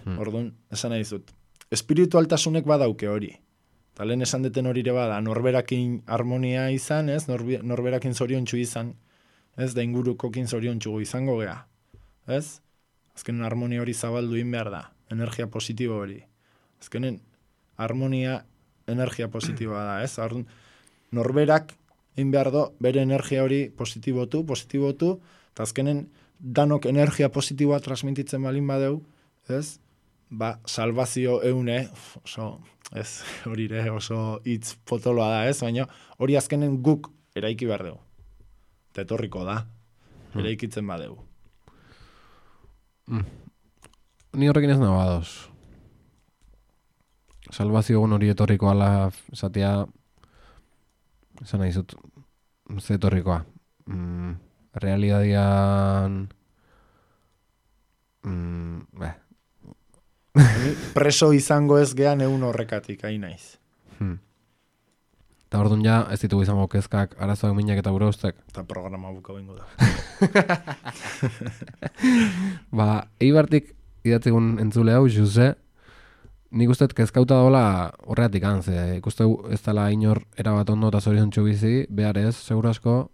Orduan, esan nahi zut. Espiritualtasunek badauke hori. Eta lehen esan deten hori ere bada, norberakin harmonia izan, ez? Norberakin zoriontsu izan, ez? Da ingurukokin zoriontsu izango gea, ez? Azkenen harmonia hori zabaldu behar da, energia positibo hori. Azkenen harmonia energia positiboa da, ez? norberak egin behar do, bere energia hori positibotu, eta azkenen danok energia positiboa transmititzen balin badeu, ez? Ba, salvazio eune, oso, ez, hori oso hitz potoloa da, ez? Baina hori azkenen guk eraiki behar dugu. Eta etorriko da, eraikitzen badeu. Ni horrekin ez nago ados. Salvazio egun hori etorriko ala esatea, esan nahi zut, ze etorrikoa. Realidadian... Preso izango ez gean egun horrekatik, hain naiz. Eta orduan ja, ez ditugu izango kezkak, arazoak minak eta gure ustek. Eta programa buka bingo da. Ba, Eibartik idatzegun entzule hau, Jose, nik usteet kezkauta dola horreatik antze. Ikusteu ez dela inor erabat ondo eta zorion txubizi, behar ez, seguro asko.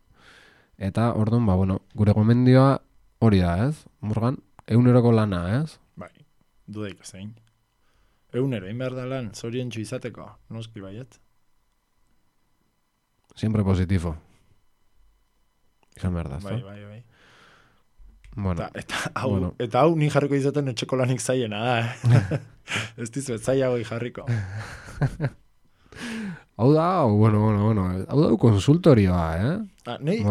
Eta orduan, ba, bueno, gure gomendioa hori da, ez? Morgan, eguneroko lana, ez? Bai, dudaik zein. Egunero, egin behar da lan, zorion txu izateko, noski baiet. Siempre positivo. Izan behar da, Bai. Bueno, eta hau ni jarriko izaten etxeko lanik zaiena da, Ez dizuet zaiago jarriko. Hau da, bueno. Hau da konsultorioa, Nei,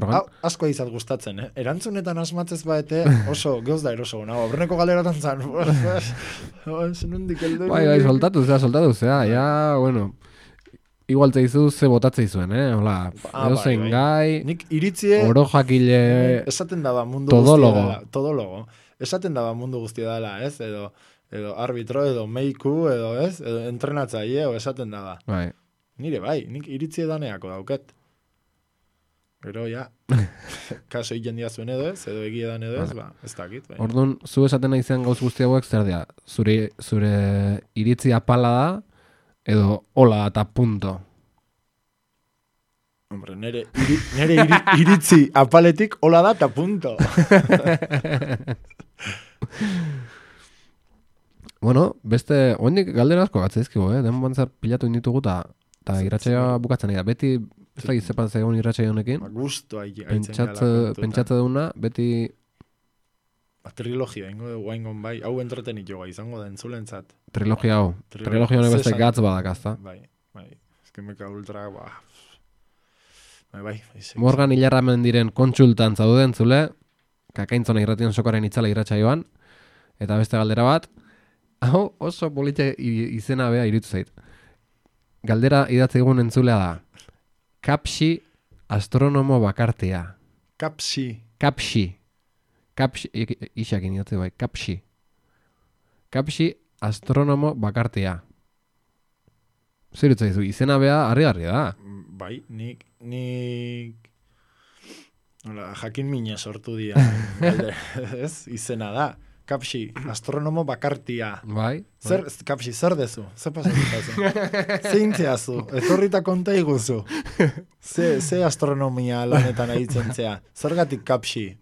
asko izat gustatzen, Erantzunetan asmatzez baete oso geuz da eroso. Aurreneko galeratan zan. Bai, soltatu zea, ja, bueno. Igual teizu ze botatzei zuen, Hola, zein gai, nik iritzie, oro jakile, esaten daba mundu todólogo. Todólogo. Esaten daba mundu guztia dela, ez? Edo arbitro, edo meiku, edo ez? Edo entrenatzaile, esaten daba. Bai. Nire bai, nik iritzie daneako dauket. Gero, ja, kaso jendia zuen edo ez, edo egie dan edo ez, ez dakit. Bai. Orduan, zu esaten nahi zen gauz guzti hauek zer dira? Zure iritzi apala da, edo hola eta punto. Hombre, nere iritzi apaletik hola da eta punto. Bueno, beste, oendik galdera asko gatzaizkigu, Den bantzar pilatu inditugu eta irratsaioa bukatzen da. Beti, ez da gizepan zegoen irratsaio honekin. Gusto Pentsatze duna, beti... Trilogia, guaingon bai, hau entretenit joa, izango da entzulentzat. Trilogia hau. Trilogia honek beste gatz badakazta. Bai. Eskemeka ultra, Bai. Morgan Ilarramen diren kontsultan zauden zule, kakaintzona irratian sokaren itzala irratsaioan, eta beste galdera bat, hau oso polite izena bea irutu zait. Galdera idatze egun entzulea da. Kapsi astronomo bakartia. Kapsi, isakin idatze bai, Kapsi astronomo bakartia. Zer utzaizu, izena bea harri da. Bai, nik jakin mina sortu dia. Ez, izena da. Kapsi, astronomo bakartia. Bai. Kapsi, zer dezu? Zer pasatu? Zeintzeazu, etorrita konta iguzu. Ze astronomia lanetan ahitzen zea. Zergatik kapsi?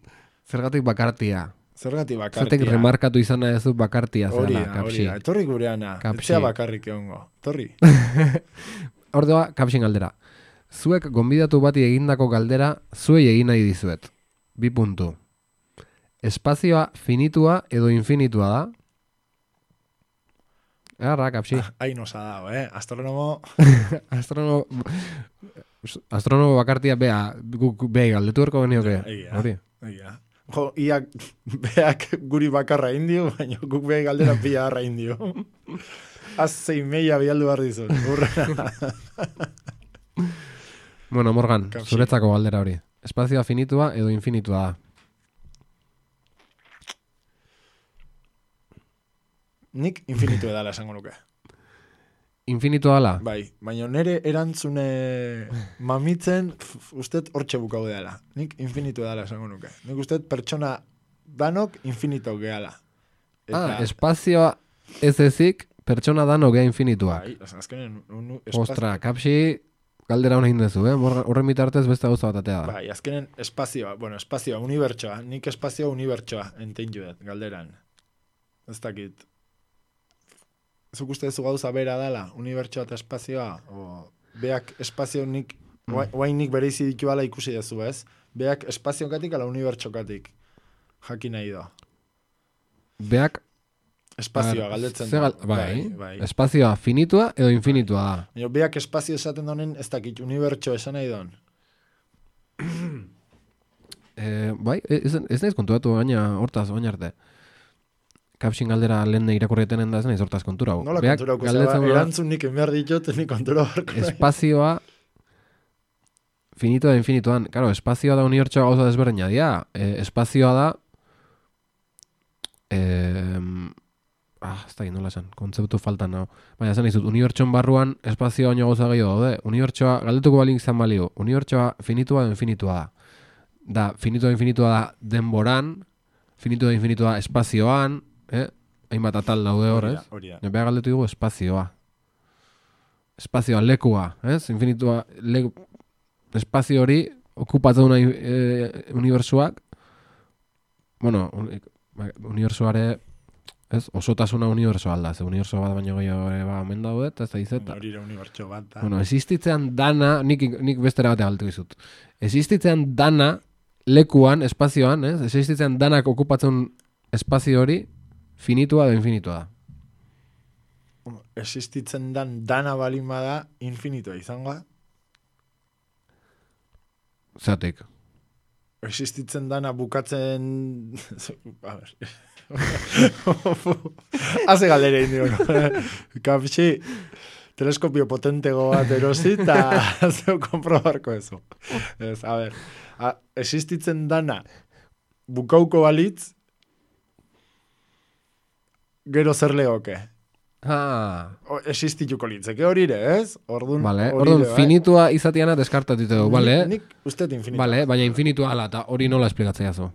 Zergatik bakartia. Zergatik remarkatu izana ez du bakartia zela, kapsi. Etorri gureana, etxea bakarrik egongo. Etorri. Ordua, kapsin galdera. Zuek gonbidatu bati egindako galdera, zuei egin nahi dizuet. 2 puntu. Espazioa finitua edo infinitua da? Erra, kapsi. Hain osa dago, Astronomo... Astronomo bakartia bea, guk beha galdetu erko genioke. Egia. Jo, iak beak guri bakarra indio, baina guk beha galdera pia harra indio. Azei meia bialdu behar dizut. Bueno, Morgan, zuretzako galdera hori. Espazioa finitua edo infinitua da? Nik infinitu edala esango nuke. Infinitua dela? Bai, baina nire erantzune mamitzen usted hortxe bukau dela. Nik infinitu edala esango nuke. Nik usted pertsona danok infinito gehala. Espazioa ez ezik pertsona danok gea infinitua. Bai, azkenen... Ostra, kapsi galdera hona hindezu, horren bitartez beste gauza bat atea da. Bai, azkenen espazioa, unibertsoa. Nik espazioa unibertsoa enten judet, galderan. Ez dakit. Zuk uste zu gauza bera dala, unibertsoa eta espazioa, o beak espazio nik Guainik bereizi dituala ikusi dezu, ez? Beak espaziokatik ala unibertsokatik. Jakin nahi da. Beak espazioa galdetzen bai. Espazioa finitua edo infinitua da. Beak espazio esaten donen ez dakit unibertso esan nahi don. Bai, ez naiz kontuatu gaina hortaz baina arte. Kapsin galdera lehen irakurrietenen da ez naiz hortaz konturau. Nola konturauko zeba, erantzun nik enbehar ditut, nik kontura barko. Espazioa finitua da infinituan. Claro, espazioa da unibertsoa gauza desberdina dira. Espazioa da ez da nola esan, kontzeptu faltan nago. Baina esan izut, unibertsoan barruan espazioa baino gauza gehiago daude. Unibertsoa, galdetuko balink izan balio, unibertsoa finitua da infinitua da. Da, finitua da infinitua da denboran, finitua da infinitua espazioan, hainbat atal daude hor, ez? Bea galdetu dugu espazioa. Espazioa, lekua, ez? Infinitua, espazio hori okupatzen unibertsuak, bueno, unibertsuare ez, osotasuna unibertsoa alda, ze unibertsoa bat baino gehiago omen daudet, ez da izeta. Hori unibertso bat da. Bueno, existitzean dana, nik bestera batea galtu izut. Existitzean dana, lekuan, espazioan, ez? Existitzean danak okupatzen espazio hori, finitua edo infinitua da. Existitzen dan dana balin bada, infinitua izango da? Zatik. Existitzen dana bukatzen... A ver... Haze galdera indio. Kapsi, teleskopio potentego bat erosi eta zeu komprobarko eso. Ez, a ver, existitzen dana bukauko balitz, gero zer legoke. Existituko litzeke horire, ez? Ordun finitua izatiana deskartatu dugu, bale? Nik uste infinitua. Bale, baina infinitua ala, eta hori nola esplikatzea zu?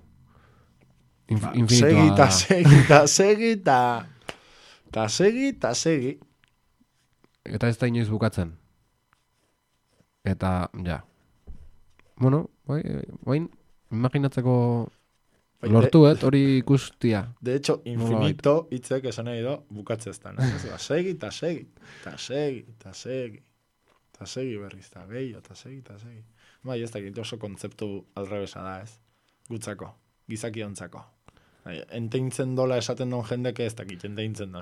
Segi. Eta ez da inoiz bukatzen. Eta, ja. Bueno, bain, imaginatzeko lortuet, hori ikustia. De hecho, infinito hitzek esan nahi do, bukatzeztan. Segi berriz, eta gehiago, eta segi. Bai, ez dakit oso kontzeptu alrebesa da, ez? Gutzako, gizaki ontzako. Enteintzen dola esaten don jendeke ez dakit, enteintzen don.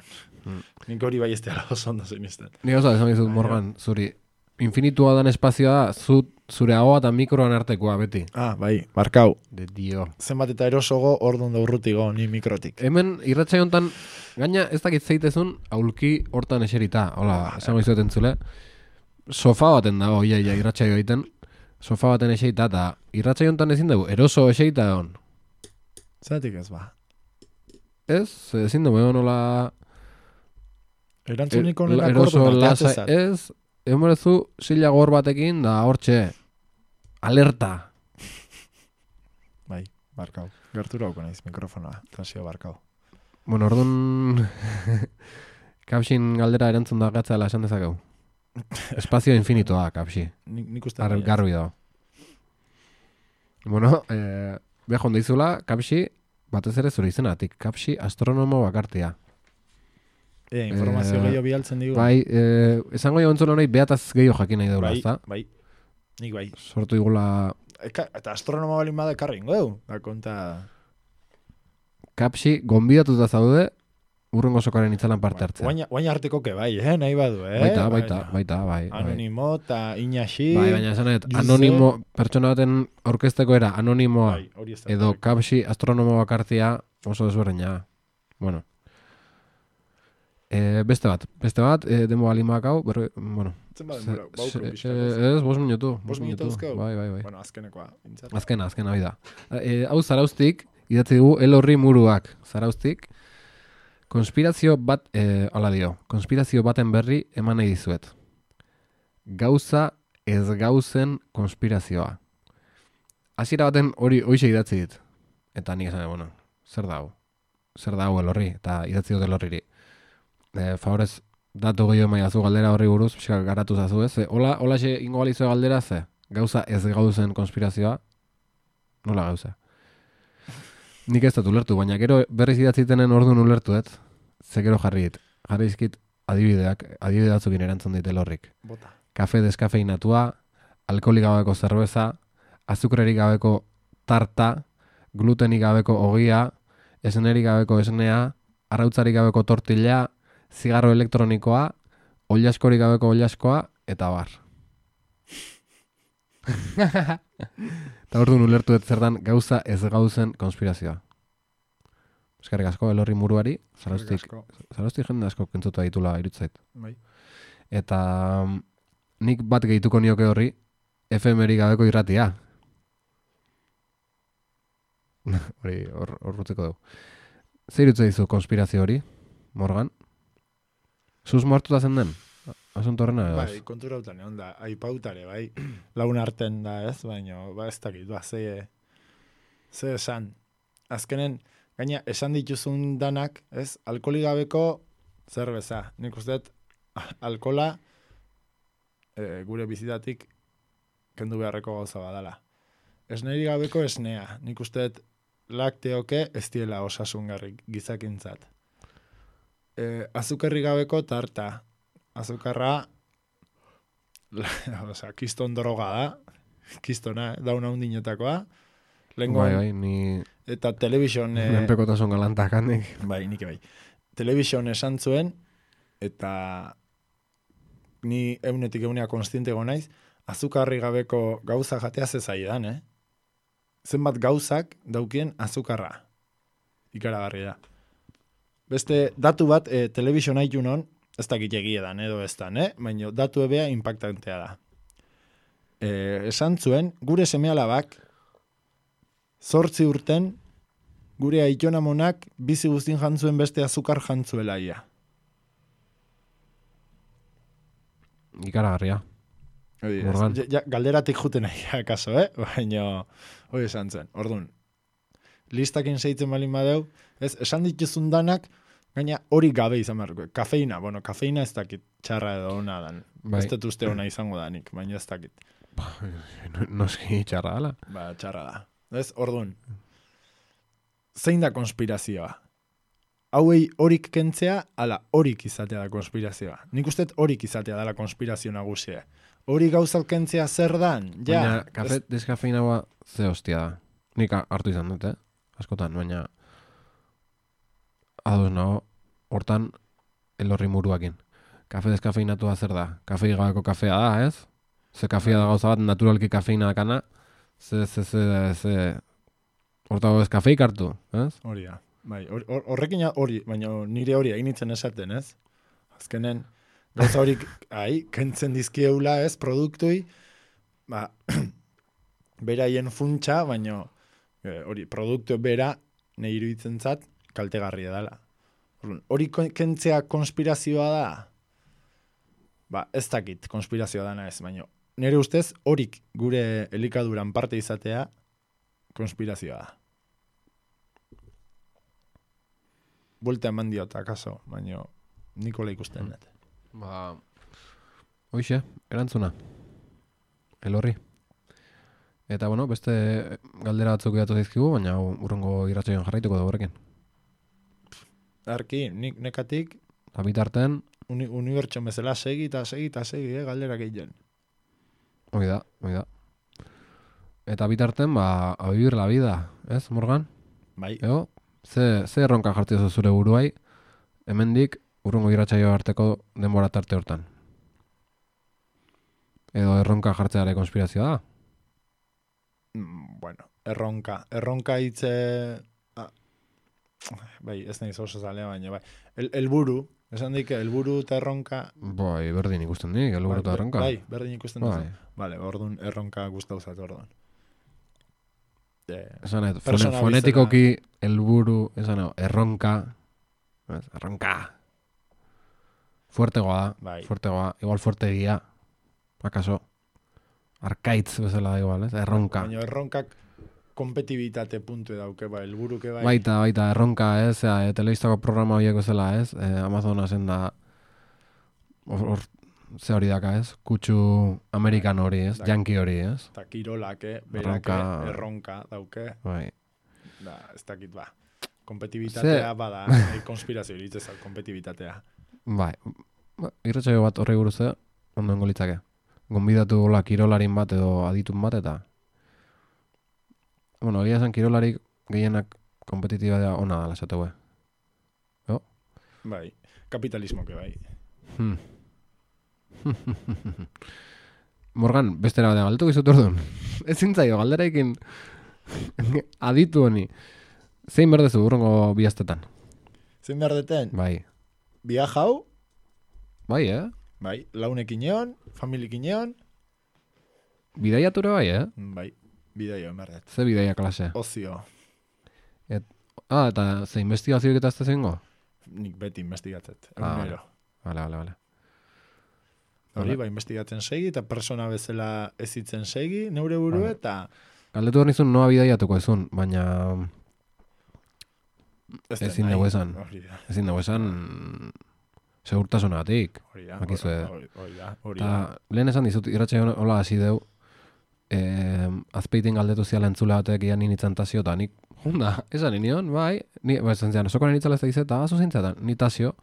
Nik hori bai ez dira oso ondo zinisten. Nik oso esan dizut, Morgan, zuri, infinitua dan espazioa da, zure ahoa eta mikroan artekoa, beti. Bai, barkau. De dio. Zenbat eta erosogo, orduan da urrutigo, ni mikrotik. Hemen, irratxai hontan, gaina ez dakit zeitezun, aulki hortan eserita. Hola, esango izuet entzule. Sofa baten dago, irratxai egiten. Sofa baten eserita, eta irratxai hontan ezin dugu, eroso eserita egon. Zatik ez ba. Ez, ezin dugu, nola... Erantzuniko nena kordu natatezat. Ez, emorezu sila gor batekin, da hortxe, alerta. Bai, barkau. Gertura hauko naiz mikrofonoa, transio barkau. Bueno, orduan... Kapsin galdera erantzun da gatzala esan dezakeu. Espazio infinitoa, Kapsi. Nik uste garbi dago. Bueno, beha jonda izula, Kapsi, batez ere zure izenatik. Kapsi astronomo bakartia. Informazio gehiago bialtzen digu. Bai, esango jo entzule honai behataz gehiago jakin nahi daula, ezta? Bai, nik bai. Sortu igula... Eta astronomo balin bada ekarri ingo du, da konta... Kapsi, gonbidatuta zaude, urrengo sokaren itzalan parte hartzea. Guain arteko ke bai, nahi badu, Baita, bai. Anonimo eta inaxi... Bai, baina esanet, anonimo, pertsona baten aurkezteko era, anonimoa, edo Kapsi astronomo bakartia oso desberdina. Bueno. Beste bat, demo alimak hau, bueno. Ez, 5 minutu. 5 minutu uzkeu? Bai. Bueno, azkenekoa. Azkena, hoi da. Hau Zaraustik, idatzi dugu, elorri muruak. Zaraustik, konspirazio bat, konspirazio baten berri eman nahi dizuet. Gauza ez gauzen konspirazioa. Hasiera baten hori hoxe idatzi dit. Eta nik esan, bueno, zer dago elorri, eta idatzi dut elorriri. Favorez, datu gehiago maiazu galdera horri buruz, pixka garatu zazu, ez? Hola xe ingo balizue galdera, ze? Gauza ez gauzen konspirazioa? Nola gauza? Nik ez dut ulertu, baina gero berriz idatzitenen orduan ulertu, ez? Ze gero jarri izkit adibide batzukin erantzun dit elorrik. Bota. Kafe deskafeinatua, alkoholik gabeko zerbeza, azukrerik gabeko tarta, glutenik gabeko ogia, esnerik gabeko esnea, arrautzarik gabeko tortilla, zigarro elektronikoa, oilaskorik gabeko oilaskoa, eta bar. Eta orduan ulertu dut zer dan gauza ez gauzen konspirazioa. Eskerrik asko, Elorri Muruari, zarostik jende asko kentzutu ditula irutzait. Bai. Eta nik bat gehituko nioke horri, efemerik gabeko irratia. Hori, hor rutzeko dugu. Zer irutzea dizu konspirazio hori, Morgan? Zuz mortuta zen den? Asunto horrena edo? Bai, konturautan egon da, aipautare, bai, lagun arten da ez, baina, ez dakit, ze esan. Azkenen, gaina, esan dituzun danak, ez, alkoholik gabeko zerbeza. Nik uste dut, alkohola gure bizitatik kendu beharreko gauza badala. Esnerik gabeko esnea. Nik uste dut, lakteoke ez diela osasungarrik gizakintzat. Azukerrik gabeko tarta. Azukarra, kiston droga da, kistona, dauna hundinetakoa. Bai, ni... Eta telebizion... Menpekotasun galantak handik. Bai, nik bai. Telebizion esan zuen, eta ni eunetik eunea konstientego naiz, azukarri gabeko gauza jatea zezaidan, Zenbat gauzak daukien azukarra. Ikaragarri da. Beste datu bat, telebizion haitunon, ez dakit egiedan edo ez dan, baina datu ebea impactantea da. Esan zuen, gure seme-alabak 8 urten gure aitonamonak bizi guztin jantzuen beste azukar jantzuela ia. Ikaragarria. Galderatik juten nahi, kaso, baina hori esan zuen. Orduan, listakin seitzen balin badeu, esan dituzun danak, gaina hori gabe izan behar. Kafeina, kafeina ez dakit txarra edo ona dan. Bai. Ez dut uste ona izango danik, baina ez dakit. Noski txarra dala. Txarra da. Orduan, zein da konspirazioa? Hauei horik kentzea, ala horik izatea da konspirazioa. Nik uste horik izatea dala konspirazio nagusia. Hori gauzak kentzea zer dan? Baina, kafe deskafeinagoa ze hostia da. Nik hartu izan dut, askotan, baina ados nago, hortan Elorri Muruakin. Kafe deskafeinatua zer da? Kafei gabeko kafea da, ez? Ze kafea da gauza bat, naturalki kafeina dakana, hortago ez kafeik hartu, ez? Hori da. Bai, horrekin hori, baina nire hori hainitzen esaten, ez? Azkenen, gauza horik, kentzen dizkieula, ez, produktui, beraien funtsa, baina hori, produktu bera, nahi iruditzen zat, kaltegarria dela. Hori kentzea konspirazioa da? Ez dakit konspirazioa dana ez, baina nire ustez horik gure elikaduran parte izatea konspirazioa da. Buelta eman diota, akaso, baina Nikola ikusten dut. Hoixe, erantzuna. Elorri. Eta, beste galdera batzuk edatu zaizkigu, baina urrengo irratsaioan jarraituko da horrekin. Arki, nik nekatik bitarten unibertso bezala segi, galderak egiten. Hoi da. Eta bitarten, a vivir la vida, ez, Morgan? Bai. Ego, ze erronka jartio zure buruai, hemendik urrengo irratsaio arteko denbora tarte hortan. Edo erronka jartzeare konspirazioa da? Erronka hitze... Bai, ez nahi oso zalea, baina bai. Elburu, esan dik, elburu eta erronka... Bai, berdin ikusten dik, elburu eta erronka. Bai, berdin ikusten duzu. Vale, orduan erronka guztauzat orduan. Esan fonetikoki elburu, erronka, erronka. Fuertegoa da, bai. Fuertegoa, igual fuertegia, akaso, arkaitz bezala da igual, ez? Erronka. Baina erronkak kompetibitate puntu dauke, elburuke bai. Baita, erronka, ez? Telebistako programa horiek bezala, ez? Amazonasen da, ze hori daka, ez? Kutsu amerikan hori, ez? Yankee hori, ez? Eta kirolake, berake, erronka dauke. Bai. Ez dakit, kompetibitatea bada, konspirazio iritzezak, kompetibitatea. Bai, irratsaio bat horri buruz ondo litzake. gonbidatu gola kirolarin bat edo aditun bat, eta bueno, egia esan kirolarik gehienak kompetitiba da ona dala esateu, jo? Bai, kapitalismoke bai. Morgan, bestera bat galdetu gizut orduan. Ezin zaio, galderaikin aditu honi. Zein berdezu urrengo bihaztetan? Zein behar deten? Bai. Viajau, Bai, bai, launekin egon, familikin egon, Bidaiatura bai, bai, bidaio behar dut. Ze bidaia klase? Ozio, Eta ze investigazioik eta ez da zengo? nik beti investigatzet, Ah, egunero. Vale. Hori, ba, investigatzen segi, eta persona bezala ezitzen segi, neure buru, Vale. eta Galdetu hor nizun noa bidaiatuko ezun, baina ezin dugu esan. Ezin dugu esan segurtasunatik. Bakizue. Eta lehen esan dizut, irratxe hola hasi deu, azpeitin galdetu ziala entzule batek ian ninitzen tazio, eta nik, junda, esan nion, bai, esan zian, osoko ninitzala ez da izeta, azu zintzetan, nitazio,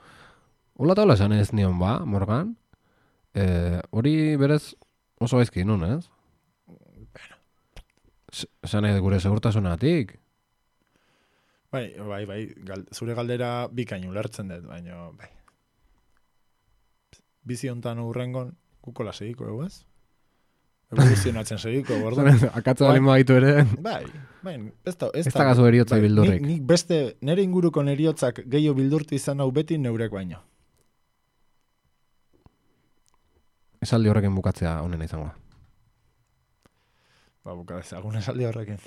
hola eta hola esan ez nion, ba, Morgan, hori berez oso gaizki nun, ez? Esan nahi gure segurtasunatik. Bai, zure galdera bikain ulertzen dut, baina, bai. Bizi hontan urrengon, kukola segiko, ez? Evoluzionatzen segiko, gordo. Akatza balen baitu ere. Bai, ez da gazu eriotza bildurrik. Nik beste, nere inguruko neriotzak gehiago bildurtu izan hau beti neurek baino. Esaldi horrekin bukatzea honena izango. Ba, bukatzea, esaldi horrekin.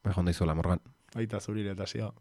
Bai, jonda izuela, Morgan. Baita zurire eta zio.